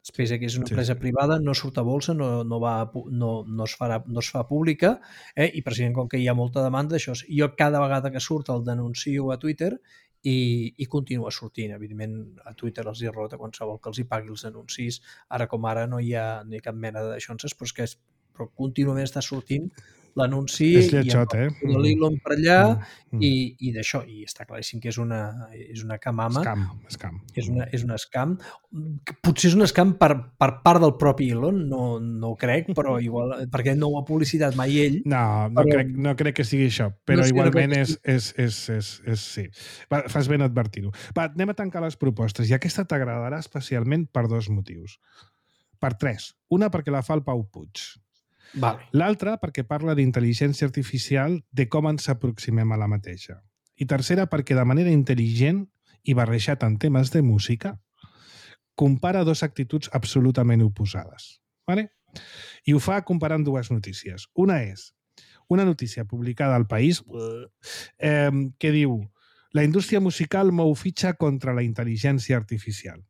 Speaker 3: SpaceX és una empresa sí. privada, no surt a bolsa, no, no, va, no, no, es farà, no es fa pública, eh? I precisament com que hi ha molta demanda d'això, jo cada vegada que surt el denuncio a Twitter i, i continua sortint. Evidentment, a Twitter els hi rota qualsevol que els hi pagui els anuncis. Ara com ara no hi ha, no hi ha cap mena d'aixonses, però és que és, però contínuament està sortint l'anunci
Speaker 2: i eh?
Speaker 3: l'Elon per allà mm. i, i d'això, i està claríssim que és una, és una camama.
Speaker 2: Scam, scam.
Speaker 3: És una, és una scam. Potser és un scam per, per part del propi Elon, no, no ho crec, però igual, perquè no ho ha publicitat mai ell.
Speaker 2: No, no, però, crec, no crec que sigui això, però no igualment no és, és, és, és, és, sí. Va, fas ben advertir-ho. Va, anem a tancar les propostes, i aquesta t'agradarà especialment per dos motius. Per tres. Una, perquè la fa el Pau Puig.
Speaker 3: Vale.
Speaker 2: L'altra, perquè parla d'intel·ligència artificial, de com ens aproximem a la mateixa. I tercera, perquè de manera intel·ligent i barrejat en temes de música, compara dues actituds absolutament oposades. Vale? I ho fa comparant dues notícies. Una és una notícia publicada al País eh, que diu: la indústria musical mou fitxa contra la intel·ligència artificial.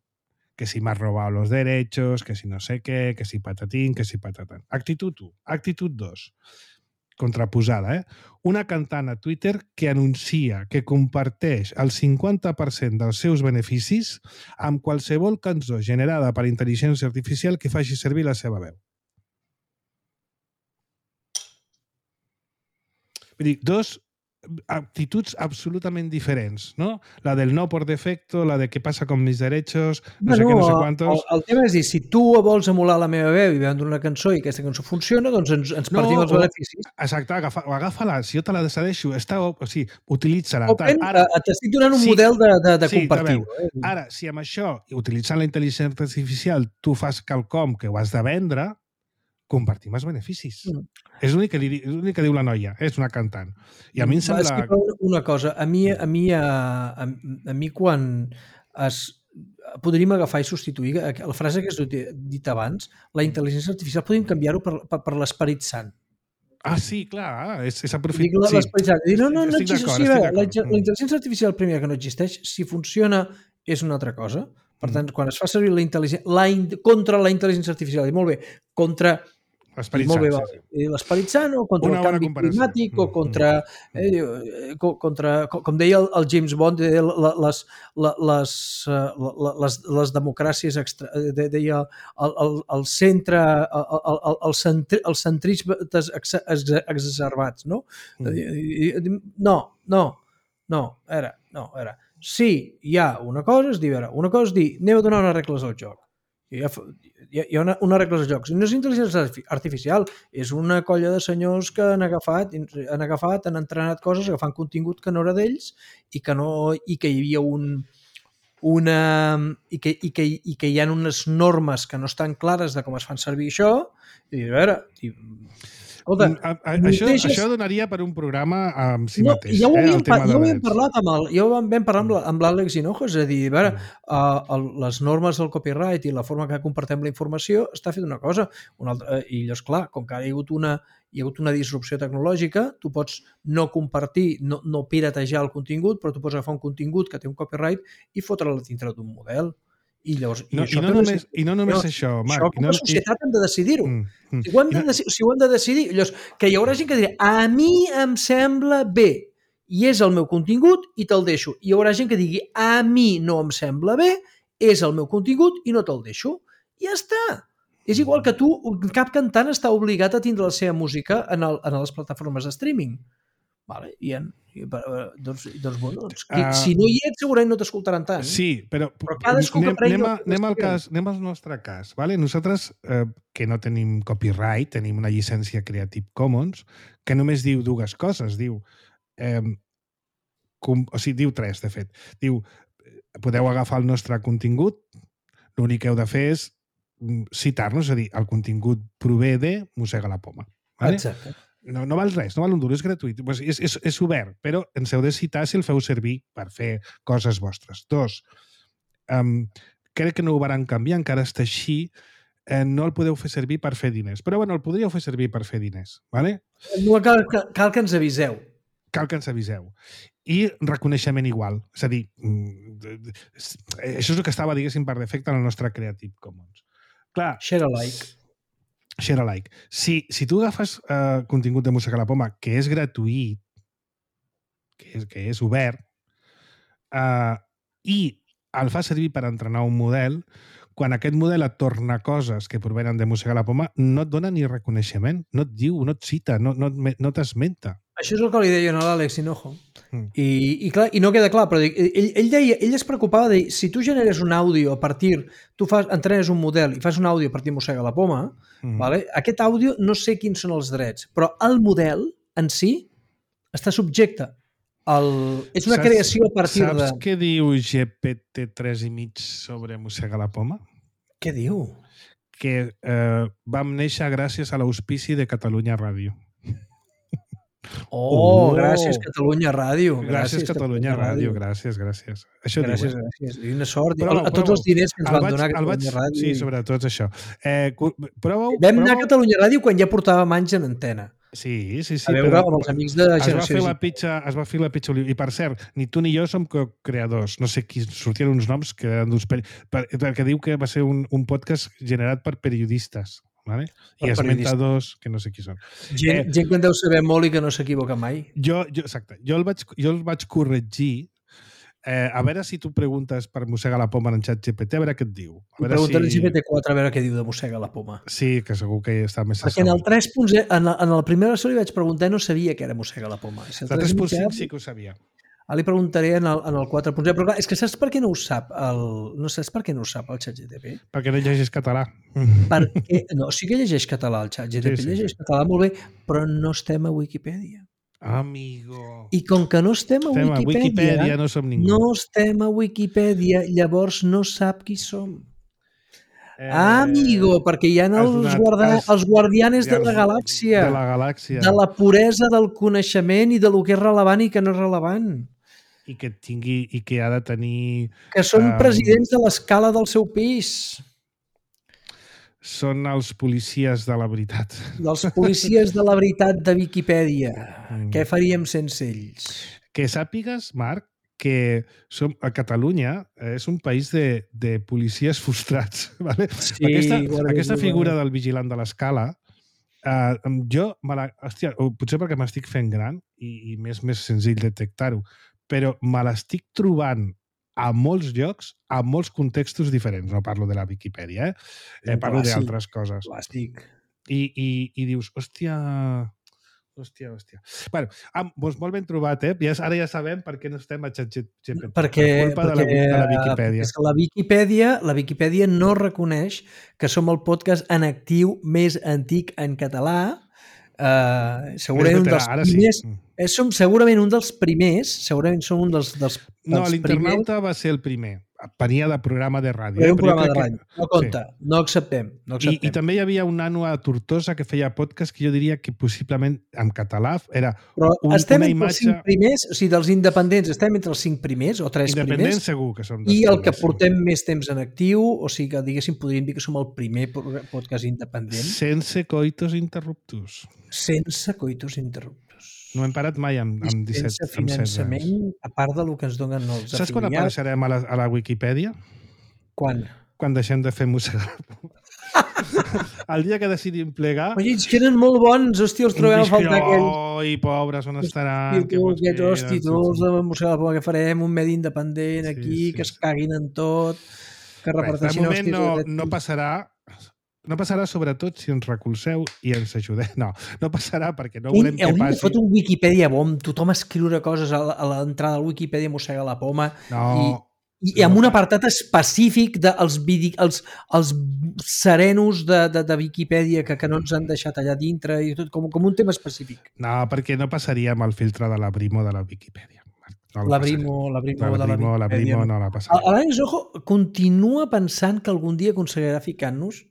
Speaker 2: Que si m'has robado los derechos, que si no sé què, que si patatín, que si patatán. Actitud u. Actitud dos. Contraposada, eh? Una cantant a Twitter que anuncia que comparteix el cinquanta per cent dels seus beneficis amb qualsevol cançó generada per intel·ligència artificial que faci servir la seva veu. Vull dir, dos actituds absolutament diferents, no? La del no por defecto, la de què passa con mis derechos, no bueno, sé què, no sé quantos...
Speaker 3: El, el tema és dir, si tu vols emular la meva veu i vendre una cançó i aquesta cançó funciona, doncs ens, ens partim no, els beneficis.
Speaker 2: Exacte, agafa, agafa-la, si jo te la cedeixo, està, o sigui, utilitza-la.
Speaker 3: Open, ara, t'estic donant un sí, model de, de, de
Speaker 2: sí,
Speaker 3: compartir.
Speaker 2: Eh? Ara, si amb això, utilitzant la intel·ligència artificial, tu fas quelcom que ho has de vendre, compartim els beneficis. Mm. És l'únic que, que diu la noia, és una cantant. I a mi em sembla...
Speaker 3: Una cosa, a mi, a mi, a, a, a mi quan es... podríem agafar i substituir la frase que has dit abans, la intel·ligència artificial, podríem canviar-ho per, per, per l'esperit sant.
Speaker 2: Ah, sí, clar, és, és aprofitat.
Speaker 3: Dic l'esperit sant. No, no, no existeix. Sí, la, la intel·ligència artificial, primer, que no existeix, si funciona, és una altra cosa. Per tant, quan es fa servir la intel·ligència... La in, contra la intel·ligència artificial, i molt bé, contra...
Speaker 2: L'esperit sant, sí,
Speaker 3: sí. L'esperit sant o contra una el canvi climàtic mm. o contra, eh, contra, com deia el, el James Bond, deia les, les, les, les democràcies, extra, deia el, el, el centre, el, el, el, centri, el centrismes exacerbats, no? Mm. No, no, no, era, no, era. Sí, hi ha una cosa, és dir, una cosa és dir, anem a donar unes regles al joc. Hi ha, hi ha una, una regla de jocs. No és intel·ligència artificial, és una colla de senyors que han agafat, han agafat, han entrenat coses, agafant contingut que no era d'ells i que no i que hi havia un una i que, i, que, i que hi ha unes normes que no estan clares de com es fan servir això i a veure, i, escolta,
Speaker 2: a, a, això, deixes... això donaria per un programa amb si
Speaker 3: no,
Speaker 2: mateix,
Speaker 3: ja ho havíem,
Speaker 2: eh, el tema
Speaker 3: ja ho
Speaker 2: de
Speaker 3: havíem parlat amb el, ja ho vam parlar amb, la, amb l'Àlex Hinojo, és a dir, a veure, uh, el, les normes del copyright i la forma que compartem la informació està fet una cosa, una altra, i llavors, clar, com que ara hi ha hagut una, hi ha hagut una disrupció tecnològica, tu pots no compartir, no, no piratejar el contingut, però tu pots agafar un contingut que té un copyright i fotre'l dintre d'un model. I llavors, i
Speaker 2: no,
Speaker 3: això
Speaker 2: i no només, i no només no, això, Marc.
Speaker 3: Això com a
Speaker 2: no,
Speaker 3: societat i... hem de decidir-ho.
Speaker 2: Mm, mm.
Speaker 3: Si, ho hem de, no... si ho hem de decidir, llavors, que hi haurà gent que dirà a mi em sembla bé i és el meu contingut i te'l deixo. I hi haurà gent que digui a mi no em sembla bé, és el meu contingut i no te'l deixo. I ja està. És igual que tu, cap cantant està obligat a tindre la seva música en, el, en les plataformes de streaming. Vale, i, en, i doncs, doncs, bueno, doncs uh, si no hi ets segurament no t'escoltaran tant.
Speaker 2: Sí, però,
Speaker 3: però cadascú
Speaker 2: anem,
Speaker 3: que
Speaker 2: anem, a, anem, al cas, anem al nostre cas. Vale? Nosaltres, eh, que no tenim copyright, tenim una llicència Creative Commons, que només diu dues coses. Diu, eh, com, o sigui, diu tres, de fet. Diu, podeu agafar el nostre contingut, l'únic que heu de fer és citar-nos, és a dir, el contingut prové de Mossega la Poma. Vale?
Speaker 3: Exacte.
Speaker 2: No, no val res, no val un duro, és gratuït. Pues és, és, és obert, però ens heu de citar si el feu servir per fer coses vostres. Dos, um, crec que no ho van canviar, encara està així, eh, no el podeu fer servir per fer diners. Però bueno, el podríeu fer servir per fer diners. ¿Vale?
Speaker 3: No, cal, cal, cal que ens aviseu.
Speaker 2: Cal que ens aviseu. I reconeixement igual. És a dir, això és el que estava, diguéssim, per defecte en el nostre Creative Commons. Clar,
Speaker 3: share alike.
Speaker 2: Share alike. Si, si tu agafes uh, contingut de Mossega la Poma, que és gratuït, que és, que és obert, uh, i el fa servir per entrenar un model, quan aquest model et torna coses que provenen de Mossega la Poma, no et dona ni reconeixement, no et diu, no et cita, no, no, no t'esmenta.
Speaker 3: Això és el que li deia a l'Àlex Hinojo. Mm. I, i, clar, I no queda clar, però ell, ell, deia, ell es preocupava de si tu generes un àudio a partir, tu fas, entrenes un model i fas un àudio a partir de Mossega la Poma, mm. vale? Aquest àudio no sé quins són els drets, però el model en si està subjecte. El, és una saps, creació a partir
Speaker 2: saps
Speaker 3: de...
Speaker 2: Saps què diu G P T tres i mig sobre Mossega la Poma?
Speaker 3: Què diu?
Speaker 2: Que eh, vam néixer gràcies a l'auspici de Catalunya Ràdio.
Speaker 3: Oh, oh, gràcies Catalunya Ràdio.
Speaker 2: Gràcies, gràcies Catalunya, Catalunya Ràdio. Ràdio. Gràcies, gràcies. Això
Speaker 3: gràcies,
Speaker 2: diu, eh?
Speaker 3: gràcies. I una sort.
Speaker 2: Però,
Speaker 3: a tots però, els diners que ens van
Speaker 2: vaig,
Speaker 3: donar a Catalunya
Speaker 2: vaig,
Speaker 3: Ràdio.
Speaker 2: Sí, sobretot això. Eh, prova,
Speaker 3: Vam prova... anar a Catalunya Ràdio quan ja portàvem anys en antena.
Speaker 2: Sí, sí, sí.
Speaker 3: A veure però, amb els amics de
Speaker 2: Generació. Es va fer la pitxa, es va fer la pitxa I, per cert, ni tu ni jo som creadors. No sé qui sortien uns noms que eren d'uns... Per, perquè diu que va ser un, un podcast generat per periodistes. Vale? I esmenta dos que no sé qui són.
Speaker 3: Gent, eh, gent que en deu saber molt i que no s'equivoca mai.
Speaker 2: Jo, jo, exacte. Jo el vaig, jo el vaig corregir eh, a veure si tu preguntes per Mossega la Poma en xat G P T, a veure què et diu.
Speaker 3: Pregunta
Speaker 2: si...
Speaker 3: en G P T quatre a veure què diu de Mossega la Poma.
Speaker 2: Sí, que segur que està més...
Speaker 3: Perquè en el tres punt zero, en, la, en la primera versió li vaig preguntar i no sabia que era Mossega la Poma.
Speaker 2: Si el tres punt cinc sí que ho sabia.
Speaker 3: Ara li preguntaré en el, en el quatre punt zero, però clar, és que saps per què no ho sap el, no saps per què no ho sap el xat G P T?
Speaker 2: Perquè no llegeix català.
Speaker 3: Perquè, no, sí que llegeix català el xat G P T, sí, sí, llegeix sí. català molt bé, però no estem a Wikipedia.
Speaker 2: Amigo.
Speaker 3: I com que no estem a
Speaker 2: estem
Speaker 3: Wikipedia,
Speaker 2: a Wikipedia no som ningú.
Speaker 3: No estem a Wikipedia, llavors no sap qui som. Eh, Amigo, perquè hi ha els, guarda, has, els guardianes de la galàxia.
Speaker 2: De la galàxia.
Speaker 3: De la puresa del coneixement i de lo que és relevant i que no és relevant.
Speaker 2: I que tingui i que ha de tenir...
Speaker 3: Que són um, presidents de l'escala del seu pis.
Speaker 2: Són els policies de la veritat.
Speaker 3: Els policies de la veritat de Viquipèdia. Mm. Què faríem sense ells?
Speaker 2: Que sàpigues, Marc, que som, a Catalunya és un país de, de policies frustrats. Vale?
Speaker 3: Sí,
Speaker 2: aquesta,
Speaker 3: bueno,
Speaker 2: aquesta
Speaker 3: bueno.
Speaker 2: figura del vigilant de l'escala, eh, jo, me la, hòstia, potser perquè m'estic fent gran i, i m'és més senzill detectar-ho, però me l'estic trobant a molts llocs, a molts contextos diferents. No parlo de la Viquipèdia, eh? eh parlo d'altres coses.
Speaker 3: Plàstic.
Speaker 2: I, i, I dius, hòstia, Hòstia, hòstia. Bueno, ah, doncs molt ben trobat, eh? Ja, ara ja sabem per què no estem a ChatGPT.
Speaker 3: Perquè,
Speaker 2: per culpa
Speaker 3: perquè,
Speaker 2: de, la, de la Viquipèdia.
Speaker 3: És que la Viquipèdia, la Viquipèdia no reconeix que som el podcast en actiu més antic en català. Uh, segurament un dels primers... Sí. Eh, som segurament un dels primers, segurament som un dels, dels, dels
Speaker 2: no, l'internauta va ser el primer. Venia de programa de ràdio.
Speaker 3: Era un programa de ràdio. Que... No compta, sí. no acceptem. No acceptem.
Speaker 2: I, I també hi havia un nano a Tortosa que feia podcast que jo diria que possiblement en català era
Speaker 3: Però
Speaker 2: un,
Speaker 3: estem
Speaker 2: una
Speaker 3: entre
Speaker 2: imatge...
Speaker 3: els cinc primers, o sigui, dels independents, estem entre els cinc primers o tres primers.
Speaker 2: Independents segur que som.
Speaker 3: I el que portem sí. més temps en actiu, o sigui que diguéssim, podríem dir que som el primer podcast independent.
Speaker 2: Sense coitos interruptus.
Speaker 3: Sense coitos interruptus.
Speaker 2: No hem parat mai amb, amb disset,
Speaker 3: sense finançament, a part del que ens donen els afiliats.
Speaker 2: Saps quan apareixerem a la, a la Wikipedia?
Speaker 3: Quan?
Speaker 2: Quan deixem de fer mossegar. El dia que decidim plegar...
Speaker 3: Oi, que eren molt bons, hòstia, els trobem a faltar aquells.
Speaker 2: Oi, pobres, on estaran?
Speaker 3: Que aquests, hòstia, tots de mossegar la poma, que farem un medi independent aquí, sí, sí, que es caguin en tot, que reparteixin
Speaker 2: hòsties. De moment no, no passarà... No passarà sobretot si ens recolzeu i ens ajudeu. No, no passarà perquè no volem que passi...
Speaker 3: Fot un Wikipedia bo, tothom escriure coses a l'entrada del Wikipedia mossega la poma
Speaker 2: no,
Speaker 3: i, i amb un apartat específic dels els, els serenos de, de, de Wikipedia que, que no ens han deixat allà dintre i tot, com, com un tema específic.
Speaker 2: No, perquè no passaríem el filtre de la Brimo de la Wikipedia. No
Speaker 3: la Brimo, la Brimo de la Wikipedia.
Speaker 2: La Brimo no la passaria.
Speaker 3: L'Àlex Ojo continua pensant que algun dia aconseguirà ficar-nos,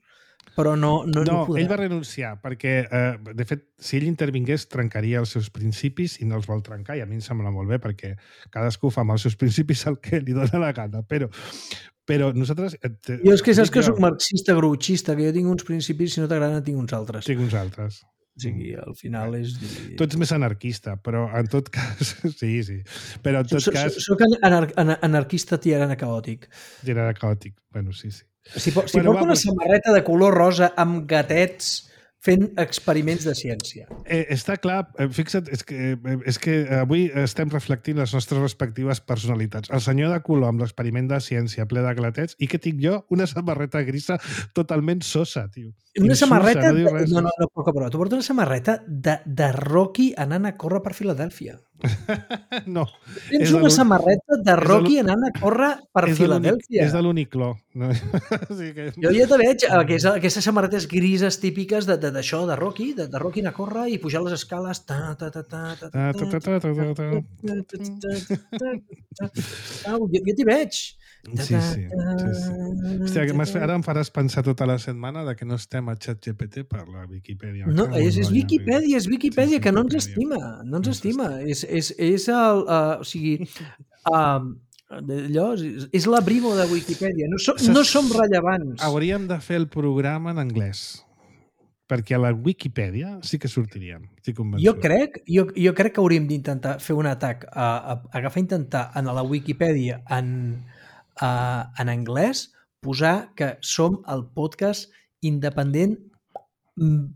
Speaker 3: però no, no,
Speaker 2: no,
Speaker 3: no podrà.
Speaker 2: Ell va renunciar perquè, eh, de fet, si ell intervingués, trencaria els seus principis i no els vol trencar, i a mi em sembla molt bé perquè cadascú fa amb els seus principis el que li dona la gana, però, però nosaltres...
Speaker 3: Te, jo és que saps que soc marxista, grouchista, que jo tinc uns principis, si no t'agraden tinc uns altres.
Speaker 2: Tinc uns altres.
Speaker 3: O sigui, al final és...
Speaker 2: Tu ets més anarquista, però en tot cas... Sí, sí. Però en tot
Speaker 3: soc,
Speaker 2: cas...
Speaker 3: Soc anar anarquista tirant a caòtic.
Speaker 2: Tirant a caòtic, bueno, sí, sí.
Speaker 3: Si, si bueno, porta va, una samarreta de color rosa amb gatets fent experiments de ciència.
Speaker 2: Eh, està clar, fixa't, és que, és que avui estem reflectint les nostres respectives personalitats. El senyor de color amb l'experiment de ciència ple de gatets i que tinc jo una samarreta grisa totalment sosa, tio.
Speaker 3: Una
Speaker 2: Insulsa,
Speaker 3: samarreta...
Speaker 2: No,
Speaker 3: de... no, no, no, poca prova. Tu portes una samarreta de, de Rocky anant a córrer per Filadèlfia.
Speaker 2: No.
Speaker 3: Tens una samarreta de Rocky anant a córrer per Filadèlfia.
Speaker 2: És de l'Unicló. No? Sí que...
Speaker 3: Jo ja te veig, aquesta, aquestes samarretes grises típiques de, de, d'això, de Rocky, de, de Rocky anar a córrer i pujar les escales. Jo t'hi veig.
Speaker 2: Sí, sí. sí, sí. Hòstia, que ara em faràs pensar tota la setmana de que no estem a ChatGPT per la Viquipèdia.
Speaker 3: No, és, és Viquipèdia, és Viquipèdia, que no ens estima, no ens estima. És, és, és el... Uh, o sigui... Uh, allò, és, és la Brimo de Viquipèdia. No som, no som rellevants.
Speaker 2: Hauríem de fer el programa en anglès. Perquè a la Wikipedia sí que sortiríem.
Speaker 3: Jo crec, jo, jo crec que hauríem d'intentar fer un atac, a, a, a agafar intentar en la Wikipedia en, a, en anglès, posar que som el podcast independent,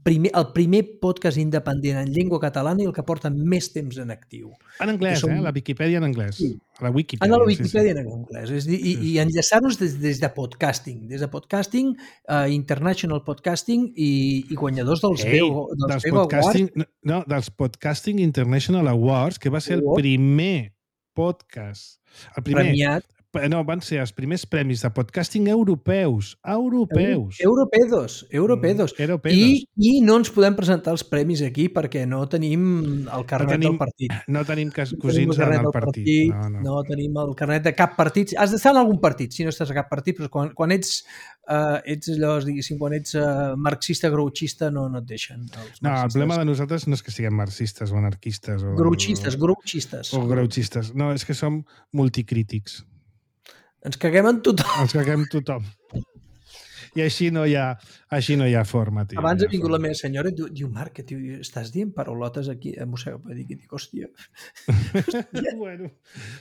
Speaker 3: primer, el primer podcast independent en llengua catalana i el que porta més temps en actiu.
Speaker 2: En anglès, som... eh? La Wikipedia en anglès. Sí. La Wikipedia,
Speaker 3: en la Wikipedia sí, sí. En anglès. És dir, i, sí. I enllaçar-nos des, des de podcasting. Des de podcasting, uh, International Podcasting i, i guanyadors dels
Speaker 2: Ei,
Speaker 3: Bego, dels
Speaker 2: dels
Speaker 3: Bego
Speaker 2: podcasting,
Speaker 3: Awards.
Speaker 2: No, dels Podcasting International Awards, que va ser el primer podcast. El primer.
Speaker 3: Premiat.
Speaker 2: No, van ser els primers premis de podcasting europeus. Europeus.
Speaker 3: Europedos. Europedos.
Speaker 2: Mm, europedos.
Speaker 3: I, I no ens podem presentar els premis aquí perquè no tenim el carnet no tenim, del partit.
Speaker 2: No tenim cosins no en el partit. partit. No, no.
Speaker 3: no tenim el carnet de cap partit. Has d'estar en algun partit, si no estàs a cap partit, però quan, quan ets, uh, ets allò, diguéssim, quan ets uh, marxista, grouchista, no, no et deixen.
Speaker 2: No, el problema de nosaltres no és que siguem marxistes o anarquistes. O,
Speaker 3: grouchistes, grouchistes.
Speaker 2: O grouchistes. No, és que som multicrítics.
Speaker 3: Ens caguem en tothom.
Speaker 2: Ens caguem tothom. I així no hi ha, així no hi ha forma, tio.
Speaker 3: Abans ha vingut la meva senyora i diu, diu Marc, que tio, estàs dient paraulotes aquí? Eh, mossega, per dir que dic, hòstia.
Speaker 2: Bueno,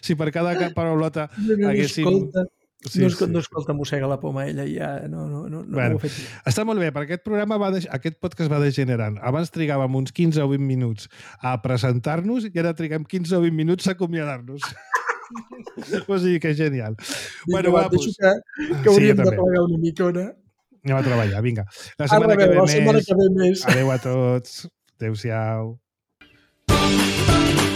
Speaker 2: si per cada paraulota
Speaker 3: no, no
Speaker 2: haguéssim...
Speaker 3: Escolta,
Speaker 2: sí,
Speaker 3: no, escolta,
Speaker 2: sí.
Speaker 3: no escolta mossega la poma, ella ja no, no, no, no
Speaker 2: bueno,
Speaker 3: ho ha fet.
Speaker 2: Està molt bé, perquè aquest programa va de... aquest podcast va degenerant. Abans trigàvem uns quinze o vint minuts a presentar-nos i ara triguem quinze o vint minuts a acomiadar-nos. O sigui que és genial.
Speaker 3: Vinga,
Speaker 2: bueno,
Speaker 3: va,
Speaker 2: va, pues...
Speaker 3: que, que hauríem sí, de plegar una micona.
Speaker 2: Anem a treballar, vinga. La setmana,
Speaker 3: Arre,
Speaker 2: que, ve
Speaker 3: la
Speaker 2: més...
Speaker 3: setmana que ve més.
Speaker 2: Adéu a tots. Adéu-siau.
Speaker 3: Adéu.